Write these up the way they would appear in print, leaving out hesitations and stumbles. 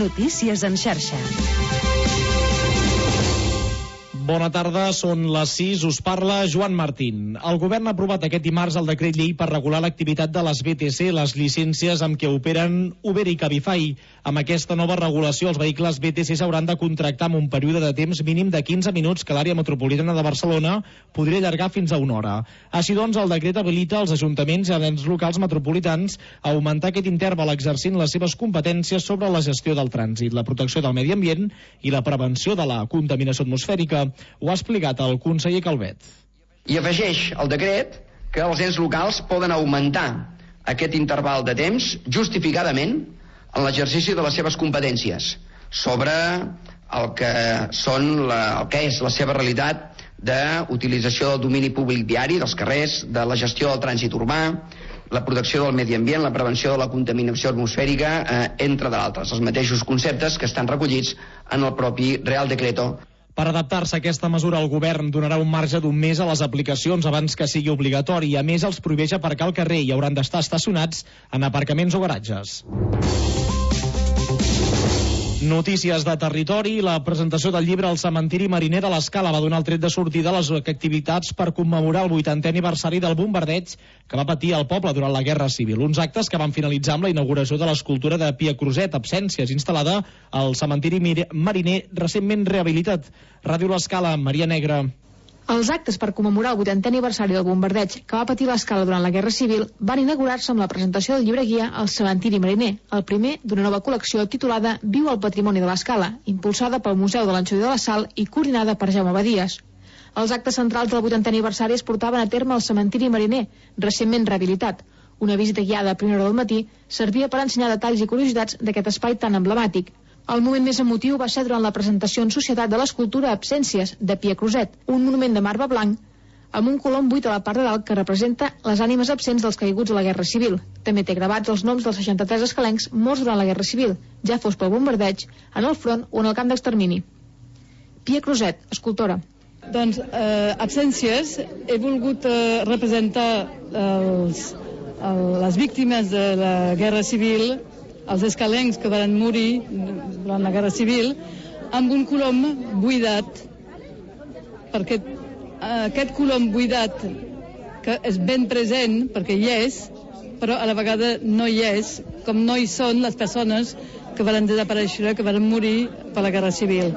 Notícies en xarxa. Bona tarda, són les 6, us parla Joan Martín. El govern ha aprovat aquest dimarts el decret llei per regular l'activitat de les BTC, les llicències amb què operen Uber i Cabify. Amb aquesta nova regulació, els vehicles BTC s'hauran de contractar amb un període de temps mínim de 15 minuts que l'àrea metropolitana de Barcelona podria allargar fins a una hora. Així doncs, el decret habilita els ajuntaments i els ens locals metropolitans a augmentar aquest interval exercint les seves competències sobre la gestió del trànsit, la protecció del medi ambient i la prevenció de la contaminació atmosfèrica. Ho ha explicat el conseller Calvet. I afegeix el decret que els ens locals poden augmentar aquest interval de temps justificadament en l'exercici de les seves competències sobre el que és la seva realitat d'utilització del domini públic viari, dels carrers, de la gestió del trànsit urbà, la protecció del medi ambient, la prevenció de la contaminació atmosfèrica, entre d'altres, els mateixos conceptes que estan recollits en el propi Real Decreto. Per adaptar-se a aquesta mesura, el govern donarà un marge d'un mes a les aplicacions abans que sigui obligatori. A més, els prohibeix aparcar al carrer i hauran d'estar estacionats en aparcaments o garatges. Notícies de territori. La presentació del llibre El cementiri mariner de l'Escala va donar el tret de sortida a les activitats per commemorar el 80è aniversari del bombardeig que va patir el poble durant la Guerra Civil. Uns actes que van finalitzar amb la inauguració de l'escultura de Pia Cruzet, Absències, instal·lada al cementiri mariner recentment rehabilitat. Ràdio l'Escala, Maria Negra. Els actes per commemorar el 80è aniversari del bombardeig que va patir l'Escala durant la Guerra Civil van inaugurar-se amb la presentació del llibre guia El cementiri mariner, el primer d'una nova col·lecció titulada Viu el patrimoni de l'Escala, impulsada pel Museu de l'Anxovi de la Sal i coordinada per Jaume Badies. Els actes centrals del 80è aniversari es portaven a terme al cementiri mariner, recentment rehabilitat. Una visita guiada a primera hora del matí servia per ensenyar detalls i curiositats d'aquest espai tan emblemàtic. El moment més emotiu va ser durant la presentació en societat de l'escultura Absències, de Pia Cruzet, un monument de marbre blanc amb un colom buit a la part de dalt que representa les ànimes absents dels caiguts a la Guerra Civil. També té gravats els noms dels 63 escalencs morts durant la Guerra Civil, ja fos pel bombardeig, en el front o en el camp d'extermini. Pia Cruzet, escultora. Doncs Absències he volgut representar les víctimes de la Guerra Civil, els escalencs que van morir durant la Guerra Civil, amb un colom buidat, perquè aquest colom buidat, que és ben present, perquè hi és, però a la vegada no hi és, com no hi són les persones que van desaparèixer, que van morir per la Guerra Civil.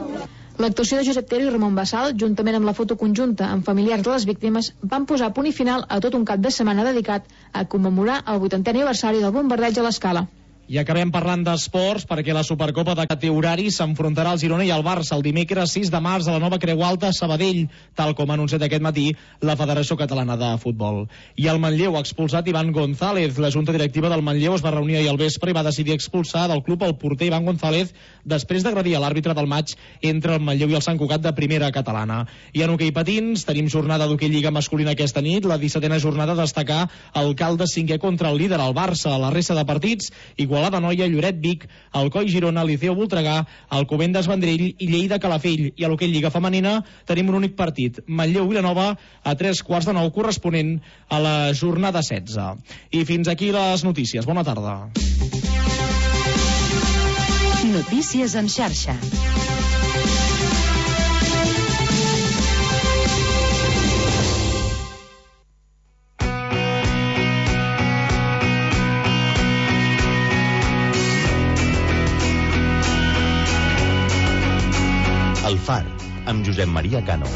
L'actuació de Josep Tero i Ramon Bassal, juntament amb la foto conjunta amb familiars de les víctimes, van posar punt i final a tot un cap de setmana dedicat a commemorar el 80è aniversari del bombardeig a l'Escala. I acabem parlant d'esports perquè la Supercopa de Categoria s'enfrontarà al Girona i al Barça el dimecres 6 de març a la nova Creu Alta a Sabadell, tal com ha anunciat aquest matí la Federació Catalana de Futbol. I el Manlleu ha expulsat Iván González. La Junta Directiva del Manlleu es va reunir ahir al vespre i va decidir expulsar del club el porter Iván González després d'agredir a l'àrbitre del maig entre el Manlleu i el Sant Cugat de primera catalana. I en hoquei patins tenim jornada d'hoquei lliga masculina aquesta nit, la 17a jornada a destacar el Caldes 5è contra el líder, el Barça. La resta de partits, Igualada Noia, Lloret Vic, Alcoi Girona, Liceo Voltregà, Alcobendas Vendrell i Lleida Calafell. I a l'hoquei lliga femenina tenim un únic partit, Manlleu Vilanova a 8:45 corresponent a la jornada 16. I fins aquí les notícies. Bona tarda. Notícies en xarxa. El Far, amb Josep Maria Cano.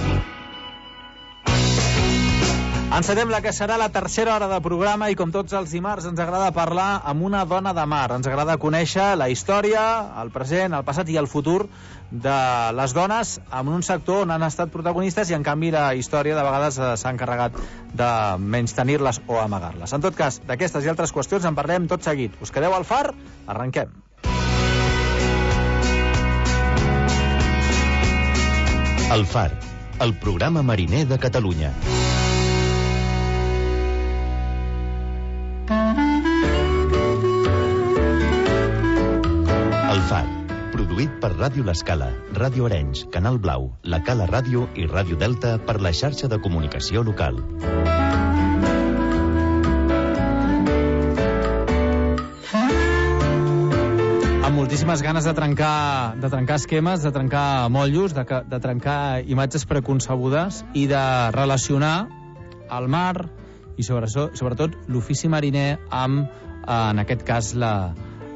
Encetem la que serà la tercera hora de programa i com tots els dimarts ens agrada parlar amb una dona de mar. Ens agrada conèixer la història, el present, el passat i el futur de les dones en un sector on han estat protagonistes i en canvi la història de vegades s'ha encarregat de menystenir-les o amagar-les. En tot cas, d'aquestes i altres qüestions en parlem tot seguit. Us quedeu al Far? Arrenquem. El Far, el programa mariner de Catalunya. El Far, produït per Ràdio l'Escala, Ràdio Arenys, Canal Blau, La Cala Ràdio i Ràdio Delta per la xarxa de comunicació local. Amb moltíssimes ganes de trencar esquemes, de trencar motllos, de trencar imatges preconcebudes i de relacionar el mar i sobretot l'ofici mariner amb, en aquest cas,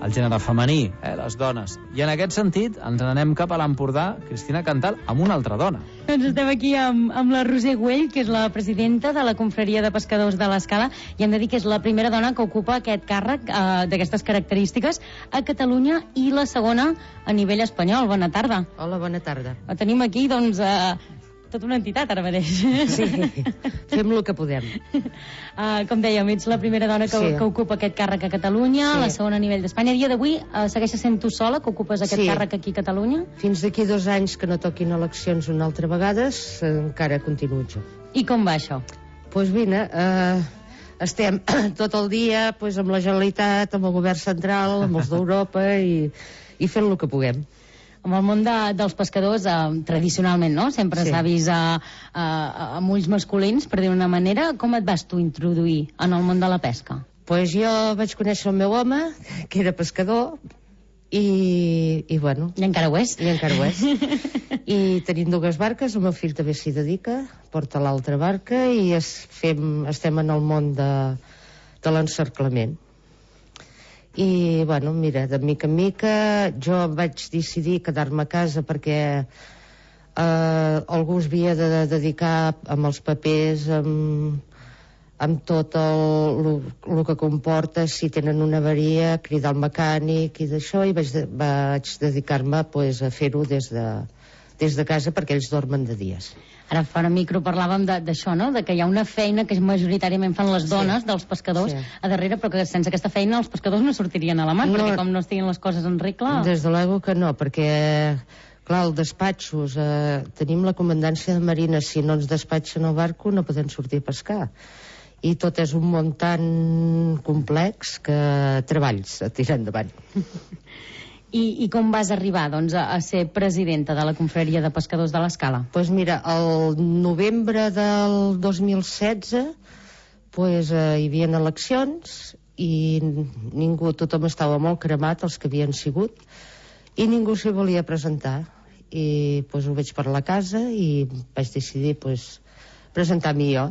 el gènere femení, les dones. I en aquest sentit ens n'anem cap a l'Empordà, Cristina Cantal, amb una altra dona. Doncs estem aquí amb la Roser Güell, que és la presidenta de la Confraria de Pescadors de l'Escala, i hem de dir que és la primera dona que ocupa aquest càrrec d'aquestes característiques a Catalunya i la segona a nivell espanyol. Bona tarda. Hola, bona tarda. La tenim aquí, doncs, tota una entitat ara mateix. Sí, fem el que podem. Com dèiem, ets la primera dona que ocupa aquest càrrec a Catalunya, la segona a nivell d'Espanya. A dia d'avui segueixes sent tu sola que ocupes aquest càrrec aquí a Catalunya? Fins d'aquí 2 anys que no toquin eleccions una altra vegada, encara continuo jo. I com va això? Doncs vine, estem tot el dia amb la Generalitat, amb el govern central, amb els d'Europa i fent el que puguem. Amb el món dels pescadors, tradicionalment, no? Sempre s'ha vist amb ulls masculins, per dir-ho d'una manera. Com et vas tu introduir en el món de la pesca? Doncs jo vaig conèixer el meu home, que era pescador, i bueno... I encara ho és. I encara ho és. I tenim 2 barques, el meu fill també s'hi dedica, porta l'altra barca, i estem en el món de l'encerclament. I, bueno, mira, de mica en mica jo vaig decidir quedar-me a casa perquè algú es havia de dedicar amb els papers, amb tot el que comporta, si tenen una avaria, cridar el mecànic i d'això, i vaig dedicar-me a fer-ho des de casa perquè ells dormen de dies. Ara fora micro parlàvem d'això, no? De que hi ha una feina que majoritàriament fan les dones dels pescadors a darrere, però que sense aquesta feina els pescadors no sortirien a la mar, perquè com no estiguin les coses en regla... Des de l'ego que no, perquè, clar, els despatxos, tenim la comandància de Marina, si no ens despatxen el barco no podem sortir a pescar. I tot és un món tan complex que treballs a tirar endavant. I com vas arribar, doncs, a ser presidenta de la Confraria de Pescadors de l'Escala? Doncs mira, el novembre del 2016 hi havia eleccions i tothom estava molt cremat, els que havien sigut, i ningú s'hi volia presentar. I ho vaig parlar a casa i vaig decidir presentar-m'hi jo.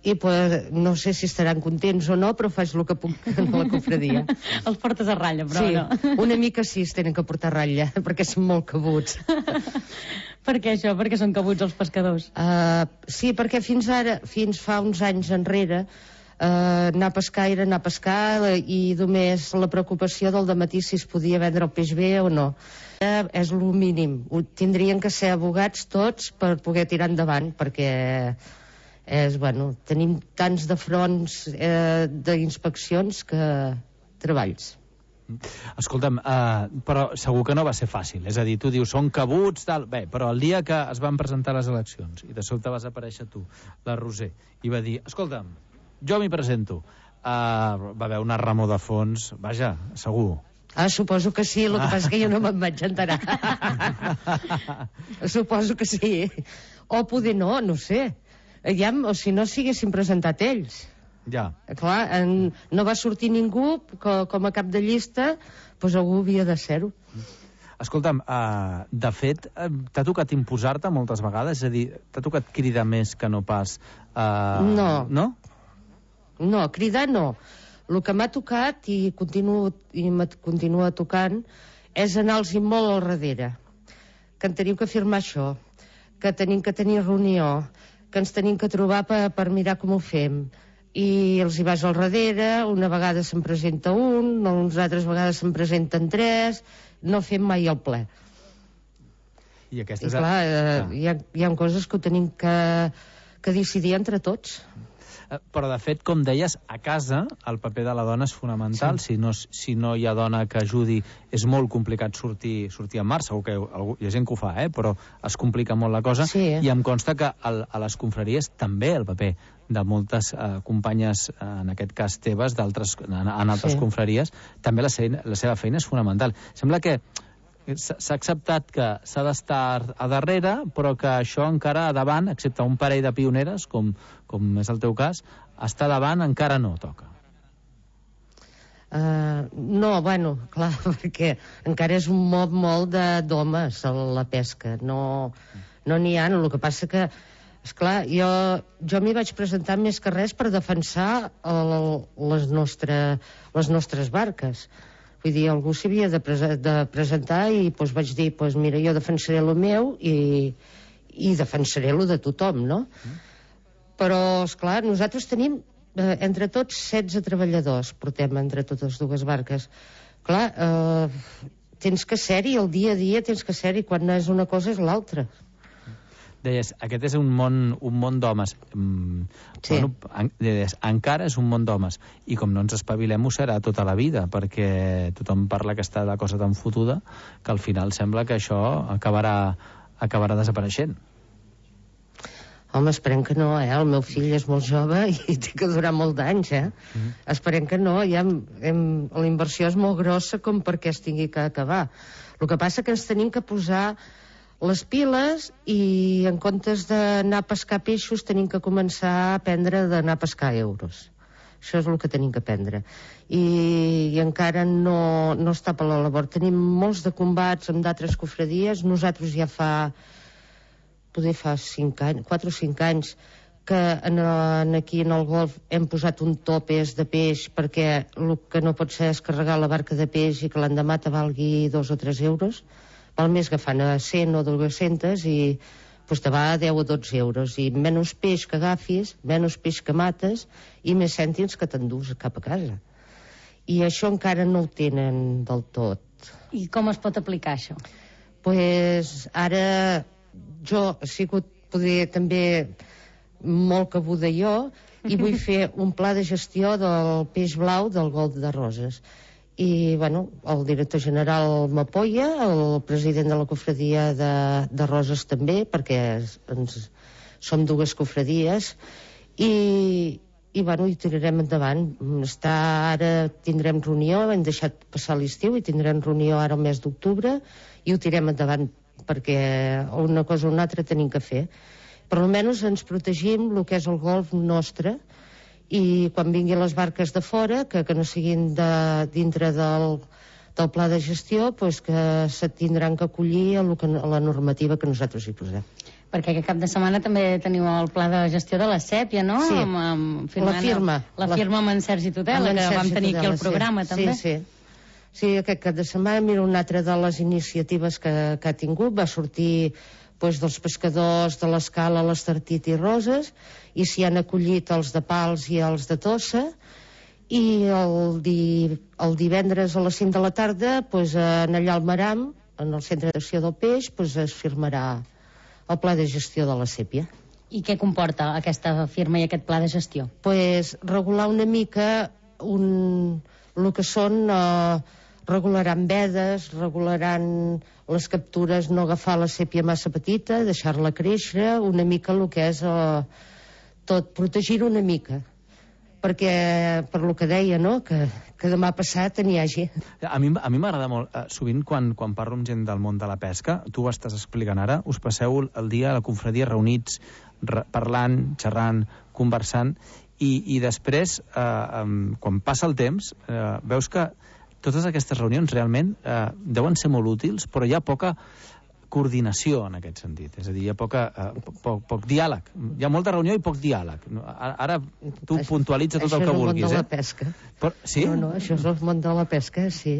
I no sé si estaran contents o no, però faig el que puc en la confraria. Els portes a ratlla, però no. Sí, una mica sí es tenen que portar a ratlla, perquè són molt cabuts. Per què això? Per què són cabuts els pescadors? Sí, perquè fins fa uns anys enrere anar a pescar era anar a pescar i només la preocupació del dematí si es podia vendre el peix bé o no. És el mínim. Tindrien que ser abogats tots per poder tirar endavant, perquè... tenim tants de fronts d'inspeccions que treballs. Escolta'm, però segur que no va ser fàcil. És a dir, tu dius, són cabuts, tal... Bé, però el dia que es van presentar les eleccions i de sobte vas aparèixer tu, la Roser, i va dir, escolta'm, jo m'hi presento. Va haver una remor de fons, vaja, segur. Suposo que sí, el que passa que jo no me'n vaig enterar. Suposo que sí. O poder no sé. O si no s'haguessin presentat ells. Ja. Clar, no va sortir ningú com a cap de llista, doncs algú havia de ser-ho. Escolta'm, de fet, t'ha tocat imposar-te moltes vegades? És a dir, t'ha tocat cridar més que no pas... No. No? No, cridar no. El que m'ha tocat i continua tocant és anar-los molt al darrere. Que en tenim que firmar això, que tenim que tenir reunió, que ens tenim que trobar per mirar com ho fem. I els hi vas al darrere, una vegada se'n presenta un, unes altres vegades se'n presenten 3, no fem mai el ple. I clar, hi ha coses que ho tenim que decidir entre tots. Però, de fet, com deies, a casa el paper de la dona és fonamental. Sí. Si no hi ha dona que ajudi, és molt complicat sortir en mar. Segur que hi ha gent que ho fa, però es complica molt la cosa. Sí. I em consta que a les confraries també el paper de moltes companyes, en aquest cas teves, en altres confraries, també la seva feina és fonamental. Sembla que s'ha acceptat que s'ha d'estar a darrere, però que això encara a davant, excepte un parell de pioneres, com és el teu cas, estar davant encara no toca. No, bueno, clar, perquè encara és un mob molt d'homes la pesca, no n'hi ha. El que passa que, esclar, jo m'hi vaig presentar més que res per defensar les nostres barques. Vull dir, algú s'havia de presentar i vaig dir, mira, jo defensaré el meu i defensaré el de tothom, no? Però, esclar, nosaltres tenim entre tots 16 treballadors portem entre totes dues barques. Clar, tens que ser-hi el dia a dia, tens que ser-hi quan no és una cosa és l'altra. Deies, aquest és un món d'homes. Sí. Bueno, deies, encara és un món d'homes. I com no ens espavilem ho serà tota la vida, perquè tothom parla que està la cosa tan fotuda que al final sembla que això acabarà desapareixent. Home, esperem que no, El meu fill és molt jove i té que durar molt d'anys, Esperem que no, la inversió és molt grossa com perquè es tingui que acabar. El que passa que ens tenim que posar les piles i en comptes d'anar a pescar peixos tenim que començar a aprendre d'anar a pescar euros. Això és el que tenim que aprendre. I encara no està per la labor. Tenim molts de combats amb d'altres cofradies. Nosaltres ja fa 5 anys, 4 o 5 anys que aquí en el golf hem posat un topes de peix perquè el que no pot ser és carregar la barca de peix i que l'endemà te valgui 2 o 3 euros. Val més agafant a 100 o 200 i te va a 10 o 12 euros i menys peix que agafis, menys peix que mates i més cèntims que t'endús cap a casa. I això encara no ho tenen del tot. I com es pot aplicar això? Ara jo he sigut també molt cabuda jo i vull fer un pla de gestió del peix blau del golf de Roses. I, el director general m'apoya, el president de la cofradia de Roses també, perquè som dues cofradies, i tirarem endavant. Ara tindrem reunió, hem deixat passar l'estiu i tindrem reunió ara el mes d'octubre i ho tirem endavant perquè una cosa o una altra tenim que fer. Per almenys ens protegim el que és el golf nostre i quan vinguin les barques de fora, que no siguin dintre del pla de gestió, que se tindran que acollir a la normativa que nosaltres hi posem. Perquè aquest cap de setmana també teniu el pla de gestió de la Sèpia, no? Sí, la firma. La firma amb en Sergi Tudela, que vam tenir aquí al programa, també. Sí, aquest cap de setmana, mira, una altra de les iniciatives que ha tingut va sortir dels pescadors de l'Escala, l'Estartit i Roses, i s'hi han acollit els de Pals i els de Tossa, i el divendres a les 5 de la tarda, allà al Maram, en el centre d'acció del peix, es firmarà el pla de gestió de la Sèpia. I què comporta aquesta firma i aquest pla de gestió? Regular una mica el que són... regularan vedes, regularan les captures, no agafar la sèpia massa petita, deixar-la créixer, una mica el que és tot, protegir una mica, perquè per lo que deia, no?, que demà passat n'hi hagi. A mi m'agrada molt, sovint quan parlo amb gent del món de la pesca, tu ho estàs explicant ara, us passeu el dia a la confradia reunits, parlant, xerrant, conversant, i després, quan passa el temps, veus que totes aquestes reunions realment deuen ser molt útils, però hi ha poca coordinació en aquest sentit. És a dir, hi ha poc diàleg. Hi ha molta reunió i poc diàleg. Ara tu puntualitza tot el que vulguis. Això és el món de la pesca. Sí? No, això és el món de la pesca, sí.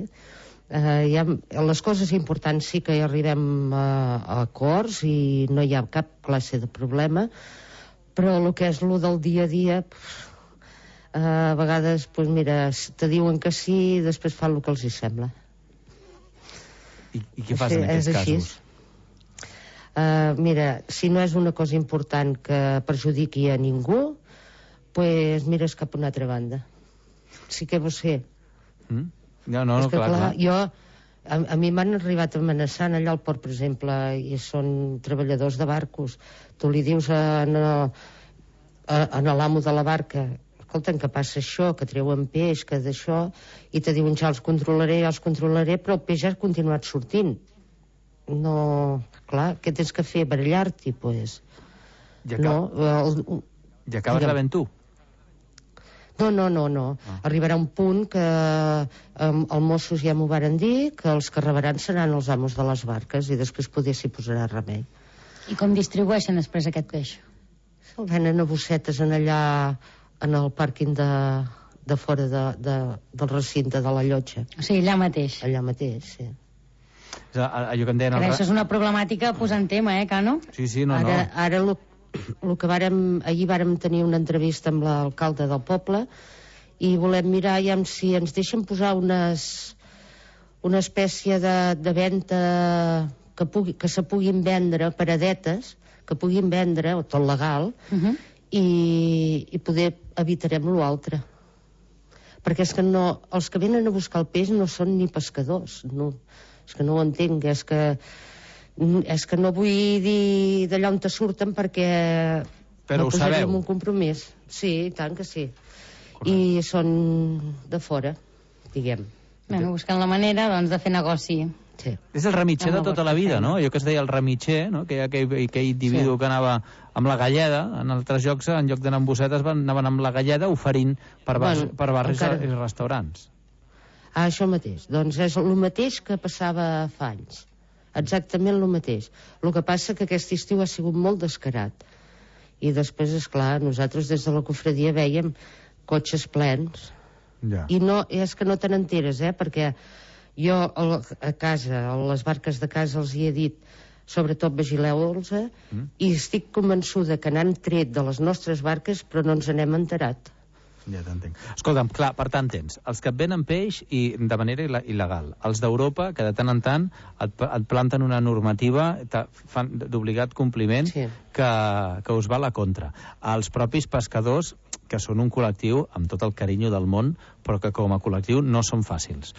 Les coses importants sí que hi arribem a acords i no hi ha cap classe de problema, però el que és el del dia a dia... a vegades, mira, te diuen que sí i després fan el que els hi sembla. I què fas en aquests casos? Mira, si no és una cosa important que perjudiqui a ningú, mires cap a una altra banda. Sí que ho sé. No, clar. A mi m'han arribat amenaçant allà al port, per exemple, i són treballadors de barcos. Tu li dius a l'amo de la barca: escolta'm, que passa això, que treuen peix, que d'això, i te diuen ja els controlaré, però el peix ha continuat sortint. No, clar, què tens que fer? Barallar-t'hi, I acabes rebent tu? No. Arribarà un punt que els Mossos ja m'ho varen dir, que els que rebaran seran els amos de les barques i després poder s'hi posarà remei. I com distribueixen després aquest peix? El venen a bossetes en allà, en el pàrquing de fora del recinte de la llotja. O sigui, allà mateix. Allà mateix, sí. Allò que en deien... Això és una problemàtica posant tema, Cano? Sí, no. Ara el que ahir vàrem tenir una entrevista amb l'alcalde del poble i volem mirar si ens deixen posar una espècie de venda que se puguin vendre, paradetes, que puguin vendre, o tot legal, i poder evitarem l'altre. Perquè és que els que venen a buscar el peix no són ni pescadors, és que no ho entenc, és que no vull dir d'allà on te surten perquè però ho sabeu. Un compromís. Sí, tant que sí. Correcte. I són de fora, diguem. Bueno, buscant la manera, doncs, de fer negoci. Sí. És el remitxer de tota la vida, no? Allò que es deia el remitxer, no? Que aquell individu que anava amb la galleda, en altres llocs, en lloc d'anar amb bossetes, anaven amb la galleda oferint per barris i restaurants. Això mateix. Doncs és el mateix que passava fa anys. Exactament el mateix. El que passa que aquest estiu ha sigut molt descarat. I després, esclar, nosaltres des de la cofradia veiem cotxes plens. Ja. I és que no te n'enteres, perquè jo a casa, a les barques de casa, els hi he dit, sobretot vigileu-los, i estic convençuda que n'han tret de les nostres barques, però no ens n'hem enterat. Ja t'entenc. Escolta'm, clar, per tant tens els que et venen peix i de manera il·legal, els d'Europa que de tant en tant et planten una normativa d'obligat compliment que us va a la contra. Els propis pescadors, que són un col·lectiu amb tot el carinyo del món, però que com a col·lectiu no són fàcils.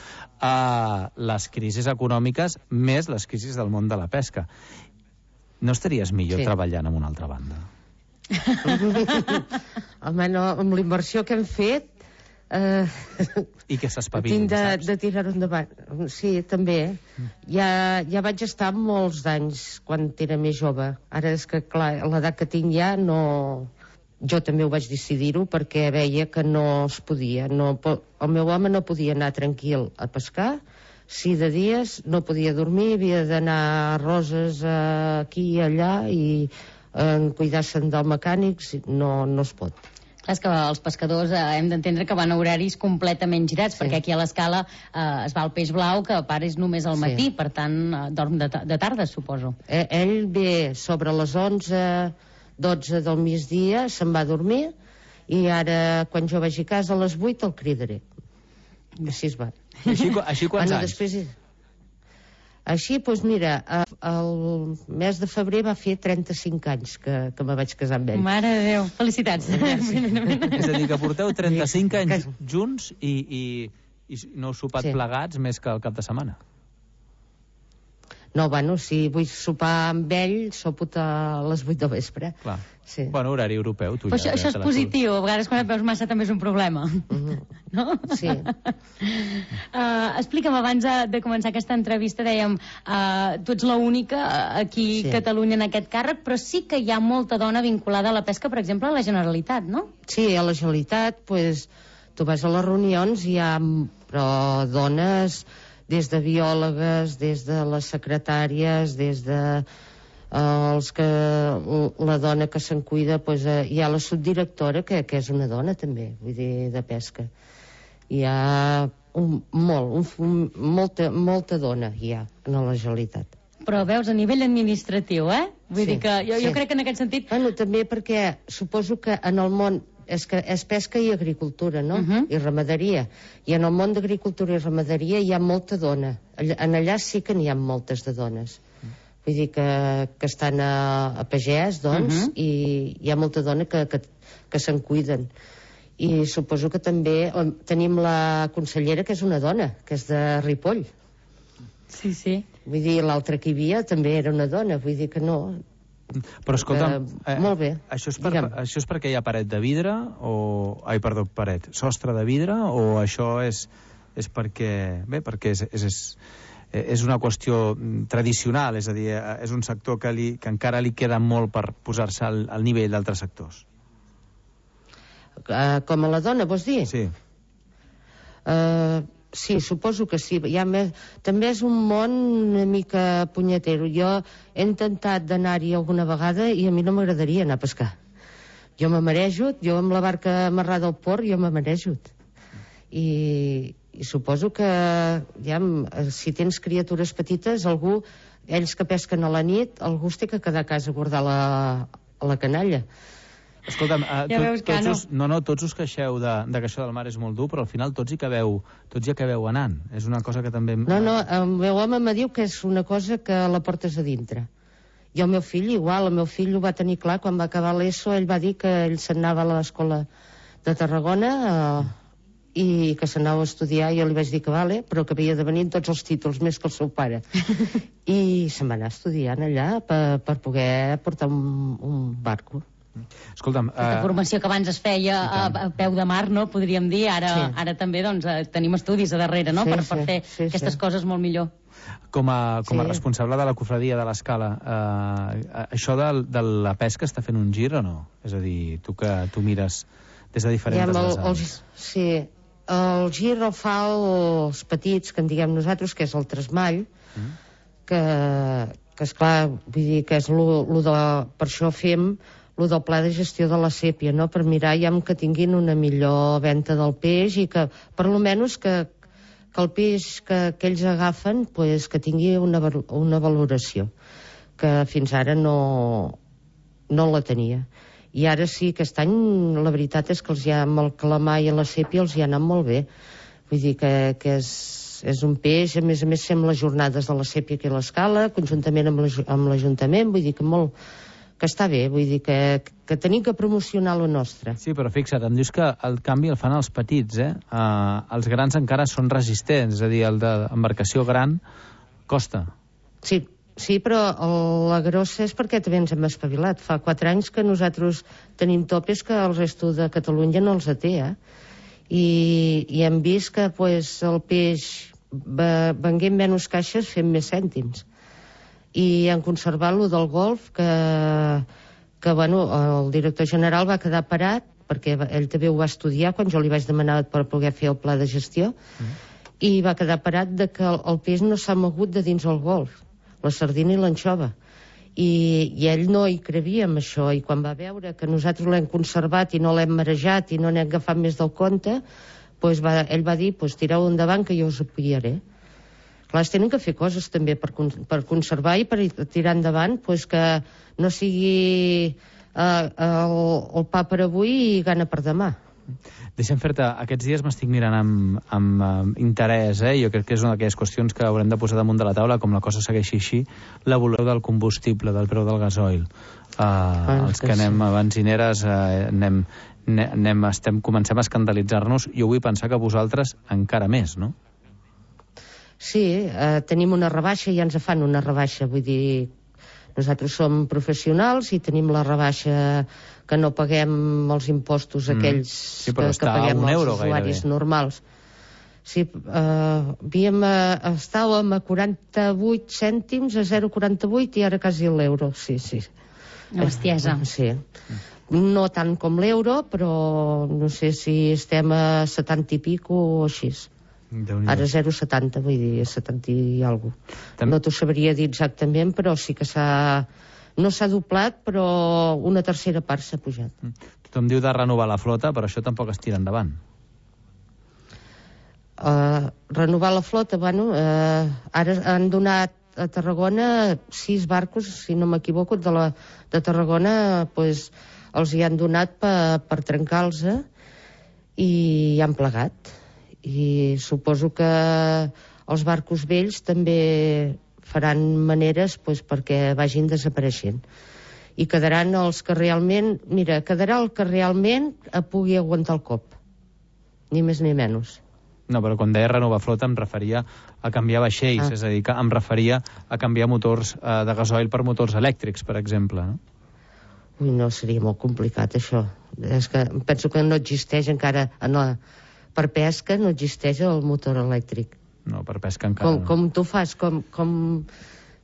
Les crisis econòmiques més les crisis del món de la pesca. No estaries millor treballant en una altra banda? Home, no, amb la inversió que hem fet i que s'espavilin, saps? De tirar-ho endavant. Sí, també. Ja vaig estar molts anys quan era més jove. Ara és que, clar, a l'edat que tinc ja no... Jo també ho vaig decidir-ho perquè veia que no es podia. El meu home no podia anar tranquil a pescar, si de dies no podia dormir, havia d'anar a Roses aquí i allà i cuidar-se'n del mecànic, no es pot. Clar, és que els pescadors hem d'entendre que van a horaris completament girats, perquè aquí a l'Escala es va al peix blau, que a part és només al matí, per tant dorm de tarda, suposo. Ell ve sobre les 11-12 del migdia, se'n va a dormir, i ara, quan jo vagi a casa a les 8, el cridaré. Així es va. Així quants anys? Així, doncs mira, el mes de febrer va fer 35 anys que me vaig casar amb ell. Mare de Déu, felicitats. És a dir, que porteu 35 anys junts i no heu sopat plegats més que el cap de setmana. No, bueno, si vull sopar amb ell, sopo a les 8 del vespre. Clar. Bueno, horari europeu. Això és positiu. A vegades quan et veus massa també és un problema. No? Sí. Explica'm, abans de començar aquesta entrevista, dèiem, tu ets l'única aquí a Catalunya en aquest càrrec, però sí que hi ha molta dona vinculada a la pesca, per exemple, a la Generalitat, no? Sí, a la Generalitat, tu vas a les reunions i hi ha dones... des de biòlogues, des de les secretàries, des de la dona que se'n cuida, hi ha la subdirectora, que és una dona també, vull dir, de pesca. Hi ha molta dona hi ha en la Generalitat. Però veus, a nivell administratiu, Vull dir que jo crec que en aquest sentit... Bueno, també perquè suposo que en el món és pesca i agricultura, no? I ramaderia. I en el món d'agricultura i ramaderia hi ha molta dona. En allà sí que n'hi ha moltes de dones. Vull dir que estan a pagès, doncs, i hi ha molta dona que se'n cuiden. I suposo que també tenim la consellera, que és una dona, que és de Ripoll. Sí, sí. Vull dir, l'altra que hi havia també era una dona, vull dir que no... Però escolta'm, molt bé. Això és perquè hi ha paret de vidre sostre de vidre, o això és perquè és una qüestió tradicional, és a dir, és un sector que encara li queda molt per posar-se al nivell d'altres sectors? Com a la dona, vols dir? Sí. Sí, suposo que sí. També és un món una mica punyetero. Jo he intentat d'anar-hi alguna vegada i a mi no m'agradaria anar a pescar. Jo me marejo, jo amb la barca amarrada al port, jo me marejo. I suposo que si tens criatures petites, ells que pesquen a la nit, algú es té que quedar a casa a guardar la canalla. Escolta'm, ja veus que tots us queixeu de que això del mar és molt dur, però al final tots hi acabeu anant. És una cosa que també... No, el meu home me diu que és una cosa que la portes a dintre. I el meu fill igual, el meu fill ho va tenir clar quan va acabar l'ESO, ell va dir que ell se'n anava a l'escola de Tarragona i que s'anava a estudiar, i jo li vaig dir que vale, però que havia de venir amb tots els títols, més que el seu pare. I se'n va anar estudiant allà per poder portar un barco. Escolta'm... Aquesta formació que abans es feia a peu de mar, no? Podríem dir, ara també tenim estudis a darrere, no? Per fer aquestes coses molt millor. Com a responsable de la cofradia de l'Escala, això de la pesca està fent un gir o no? És a dir, tu mires des de diferents vessants. Sí, el gir el fa els petits, que en diguem nosaltres, que és el tresmall, que esclar, vull dir que és per això fem el del pla de gestió de la sèpia, no? Per mirar que tinguin una millor venda del peix i que, per almenys, que el peix que ells agafen que tingui una valoració, que fins ara no la tenia. I ara sí, aquest any, la veritat és que amb el calamar i la sèpia els hi ha anat molt bé. Vull dir que és un peix, a més fem les jornades de la sèpia aquí a l'Escala, conjuntament amb l'Ajuntament, vull dir que està bé, vull dir que tenim que promocionar lo nostre. Sí, però fixa't, em dius que el canvi el fan els petits, els grans encara són resistents, és a dir, el d'embarcació gran costa. Sí, però la grossa és perquè també ens hem espavilat. Fa 4 anys que nosaltres tenim topes que el resto de Catalunya no els té, i hem vist que el peix venguent menys caixes fem més cèntims. I han conservat lo del golf, que el director general va quedar parat, perquè ell també ho va estudiar quan jo li vaig demanar per poder fer el pla de gestió, i va quedar parat de que el peix no s'ha mogut de dins el golf, la sardina i l'anxova. I ell no hi crevia amb això, i quan va veure que nosaltres l'hem conservat i no l'hem marejat i no n'hem agafat més del compte, ell va dir, tireu endavant que jo us apoyaré. Clar, es tenen que fer coses també per conservar i per tirar endavant, que no sigui el pa per avui i gana per demà. Deixa'm fer-te, aquests dies m'estic mirant amb interès, jo crec que és una d'aquelles qüestions que haurem de posar damunt de la taula, com la cosa segueixi així, l'evolució del combustible, del preu del gasoil. Els que anem a benzineres comencem a escandalitzar-nos, jo vull pensar que vosaltres encara més, no? Sí, tenim una rebaixa, ja ens fan una rebaixa, vull dir, nosaltres som professionals i tenim la rebaixa que no paguem els impostos aquells que paguem els usuaris normals. Sí, estàvem a 48 cèntims, a 0,48 i ara quasi l'euro, sí. Una bestiesa. Sí. No tant com l'euro, però no sé si estem a 70 i pico o així. Ara 0,70, vull dir, 70 i alguna cosa. No t'ho sabria dir exactament, però sí que no s'ha doblat, però una tercera part s'ha pujat. Tothom diu de renovar la flota, però això tampoc es tira endavant. Renovar la flota, ara han donat a Tarragona 6 barcos, si no m'equivoco, de Tarragona, els hi han donat per trencar-los i han plegat. I suposo que els barcos vells també faran maneres perquè vagin desapareixent. I quedaran els que realment... Mira, quedarà el que realment pugui aguantar el cop. Ni més ni menys. No, però quan deia renovar flota em referia a canviar vaixells, és a dir, que em referia a canviar motors de gasoil per motors elèctrics, per exemple, no? Ui, no, seria molt complicat, això. És que penso que no existeix encara... Per pesca no existeix el motor elèctric. No, per pesca encara no. Com tu fas, com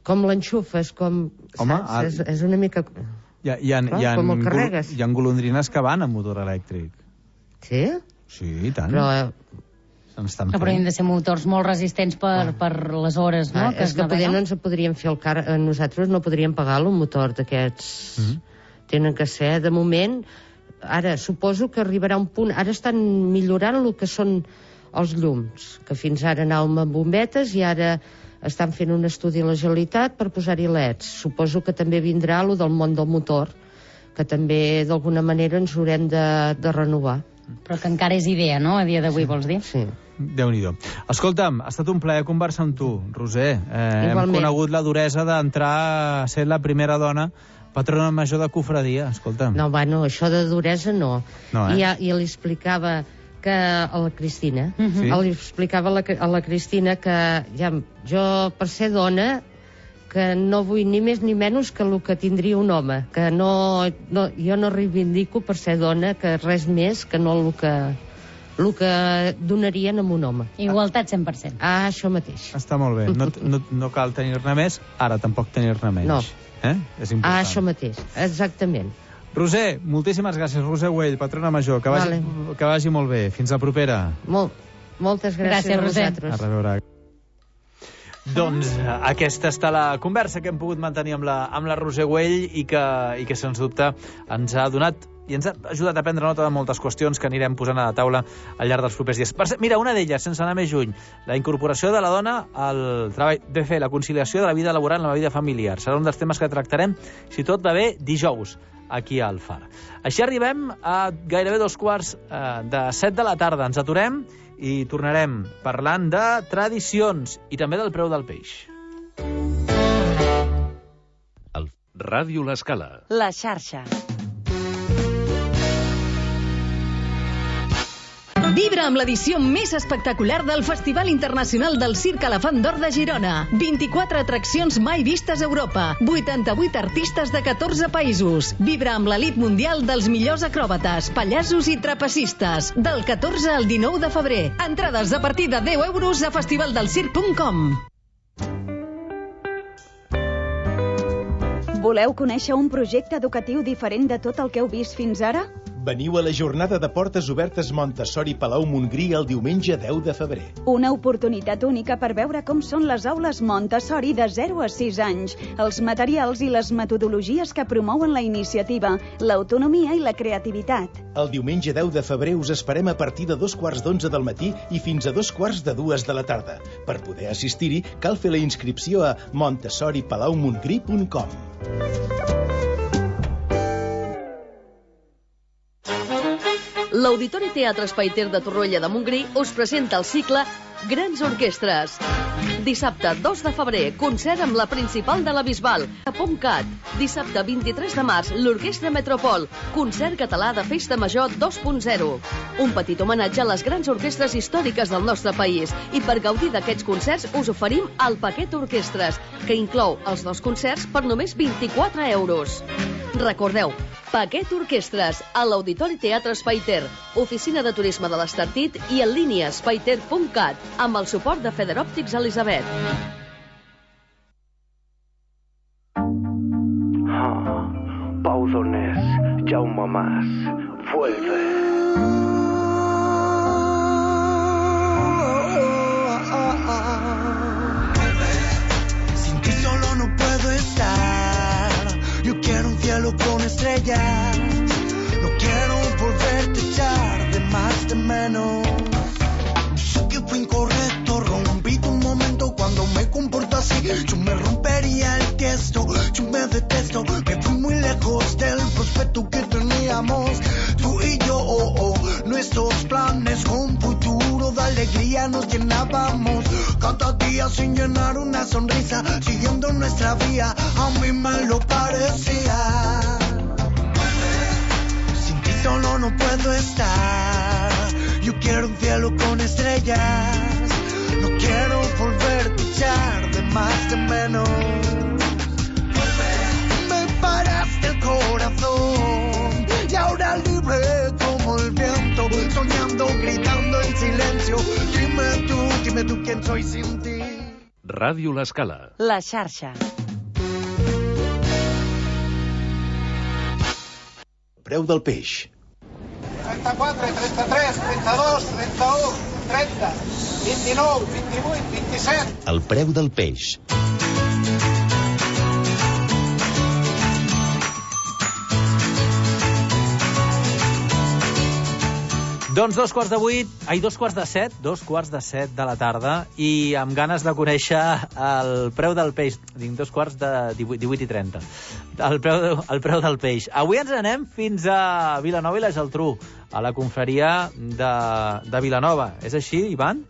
l'enxufes, com... Home, és una mica... Com el carregues. Hi ha golondrines que van amb motor elèctric. Sí? Sí, i tant. Però Però hem de ser motors molt resistents per les hores, no? És que poder no ens podríem fer el car... Nosaltres no podríem pagar un motor d'aquests. Tenen que ser, de moment... Ara, suposo que arribarà un punt... Ara estan millorant el que són els llums, que fins ara anàvem amb bombetes i ara estan fent un estudi a la Generalitat per posar-hi LEDs. Suposo que també vindrà el del món del motor, que també d'alguna manera ens haurem de renovar. Però que encara és idea, no?, a dia d'avui, vols dir? Sí. Déu-n'hi-do. Escolta'm, ha estat un plaer conversar amb tu, Roser. Hem conegut la duresa d'entrar a ser la primera dona patrona major de cofradia, escolta'm. No, bueno, això de duresa no. I li explicava que a la Cristina, li explicava a la Cristina que ja, jo, per ser dona, que no vull ni més ni menys que el que tindria un home, que jo no reivindico per ser dona que res més que no el que donarien a un home. Igualtat 100%. Ah, això mateix. Està molt bé. No cal tenir-ne més, ara tampoc tenir-ne menys. No. És important. Ah, això mateix, exactament. Roser, moltíssimes gràcies. Roser Güell, patrona major. Que vagi molt bé. Fins la propera. Moltes gràcies a vosaltres. A reveure. Doncs aquesta està la conversa que hem pogut mantenir amb la Roser Güell i que sens dubte ens ha donat i ens ha ajudat a prendre nota de moltes qüestions que anirem posant a la taula al llarg dels propers dies. Mira, una d'elles, sense anar més lluny, la incorporació de la dona al treball de fer la conciliació de la vida laboral amb la vida familiar. Serà un dels temes que tractarem, si tot va bé, dijous, aquí al Far. Així arribem a gairebé 6:45 de la tarda. Ens aturem i tornarem parlant de tradicions i també del preu del peix. Ràdio L'Escala. La xarxa. Vibra amb l'edició més espectacular del Festival Internacional del Circ Elefant d'Or de Girona. 24 atraccions mai vistes a Europa. 88 artistes de 14 països. Vibra amb l'elit mundial dels millors acròbates, pallassos i trapecistes. Del 14 al 19 de febrer. Entrades a partir de 10 euros a festivaldelsirc.com. Voleu conèixer un projecte educatiu diferent de tot el que heu vist fins ara? Veniu a la jornada de portes obertes Montessori Palau Montgrí el diumenge 10 de febrer. Una oportunitat única per veure com són les aules Montessori de 0 a 6 anys, els materials i les metodologies que promouen la iniciativa, l'autonomia i la creativitat. El diumenge 10 de febrer us esperem a partir de 2:45 del matí i fins a 2:45 de la tarda. Per poder assistir-hi, cal fer la inscripció a montessoripalaumongrí.com. L'Auditori Teatre Espai Ter de Torroella de Montgrí us presenta el cicle Grans Orquestres. Dissabte 2 de febrer, concert amb la principal de la Bisbal, a POMCAT. Dissabte 23 de març, l'Orquestra Metropol, concert català de Festa Major 2.0. Un petit homenatge a les grans orquestres històriques del nostre país. I per gaudir d'aquests concerts us oferim el paquet Orquestres, que inclou els dos concerts per només 24 euros. Recordeu, paquet Orquestres, a l'Auditori Teatre Espai Ter, oficina de turisme de l'Estartit i en línia espaiter.cat, amb el suport de Federòptics Elisabet. Pau Donés, Jaume Mas, vuelve. Sin ti solo no puedo estar. Yo quiero un cielo con estrellas. No quiero volverte a echar de más de menos. Sé que fue incorrecto, rompí tu momento cuando me comporto así. Yo me rompería el tiesto, yo me detesto. Me fui muy lejos del prospecto que teníamos tú y yo. Nuestros planes con futuro de alegría nos llenábamos. Cada día sin llenar una sonrisa, siguiendo nuestra vía, a mí me lo parecía. Sin ti solo no puedo estar. Yo quiero un cielo con estrellas. No quiero volverte a echar de más de menos. Me paraste el corazón y ahora libre como el viento, soñando, gritando en silencio. Dime tú quién soy sin ti. Ràdio L'Escala. La xarxa. Preu del peix. 34, 33, 32, 31, 30, 29, 28, 27... El preu del peix. Doncs 2:07 de la tarda, i amb ganes de conèixer el preu del peix. Dic 18:30. El preu del peix. Avui ens anem fins a Vilanova i la Geltrú, a la confraria de Vilanova. És així, Ivan?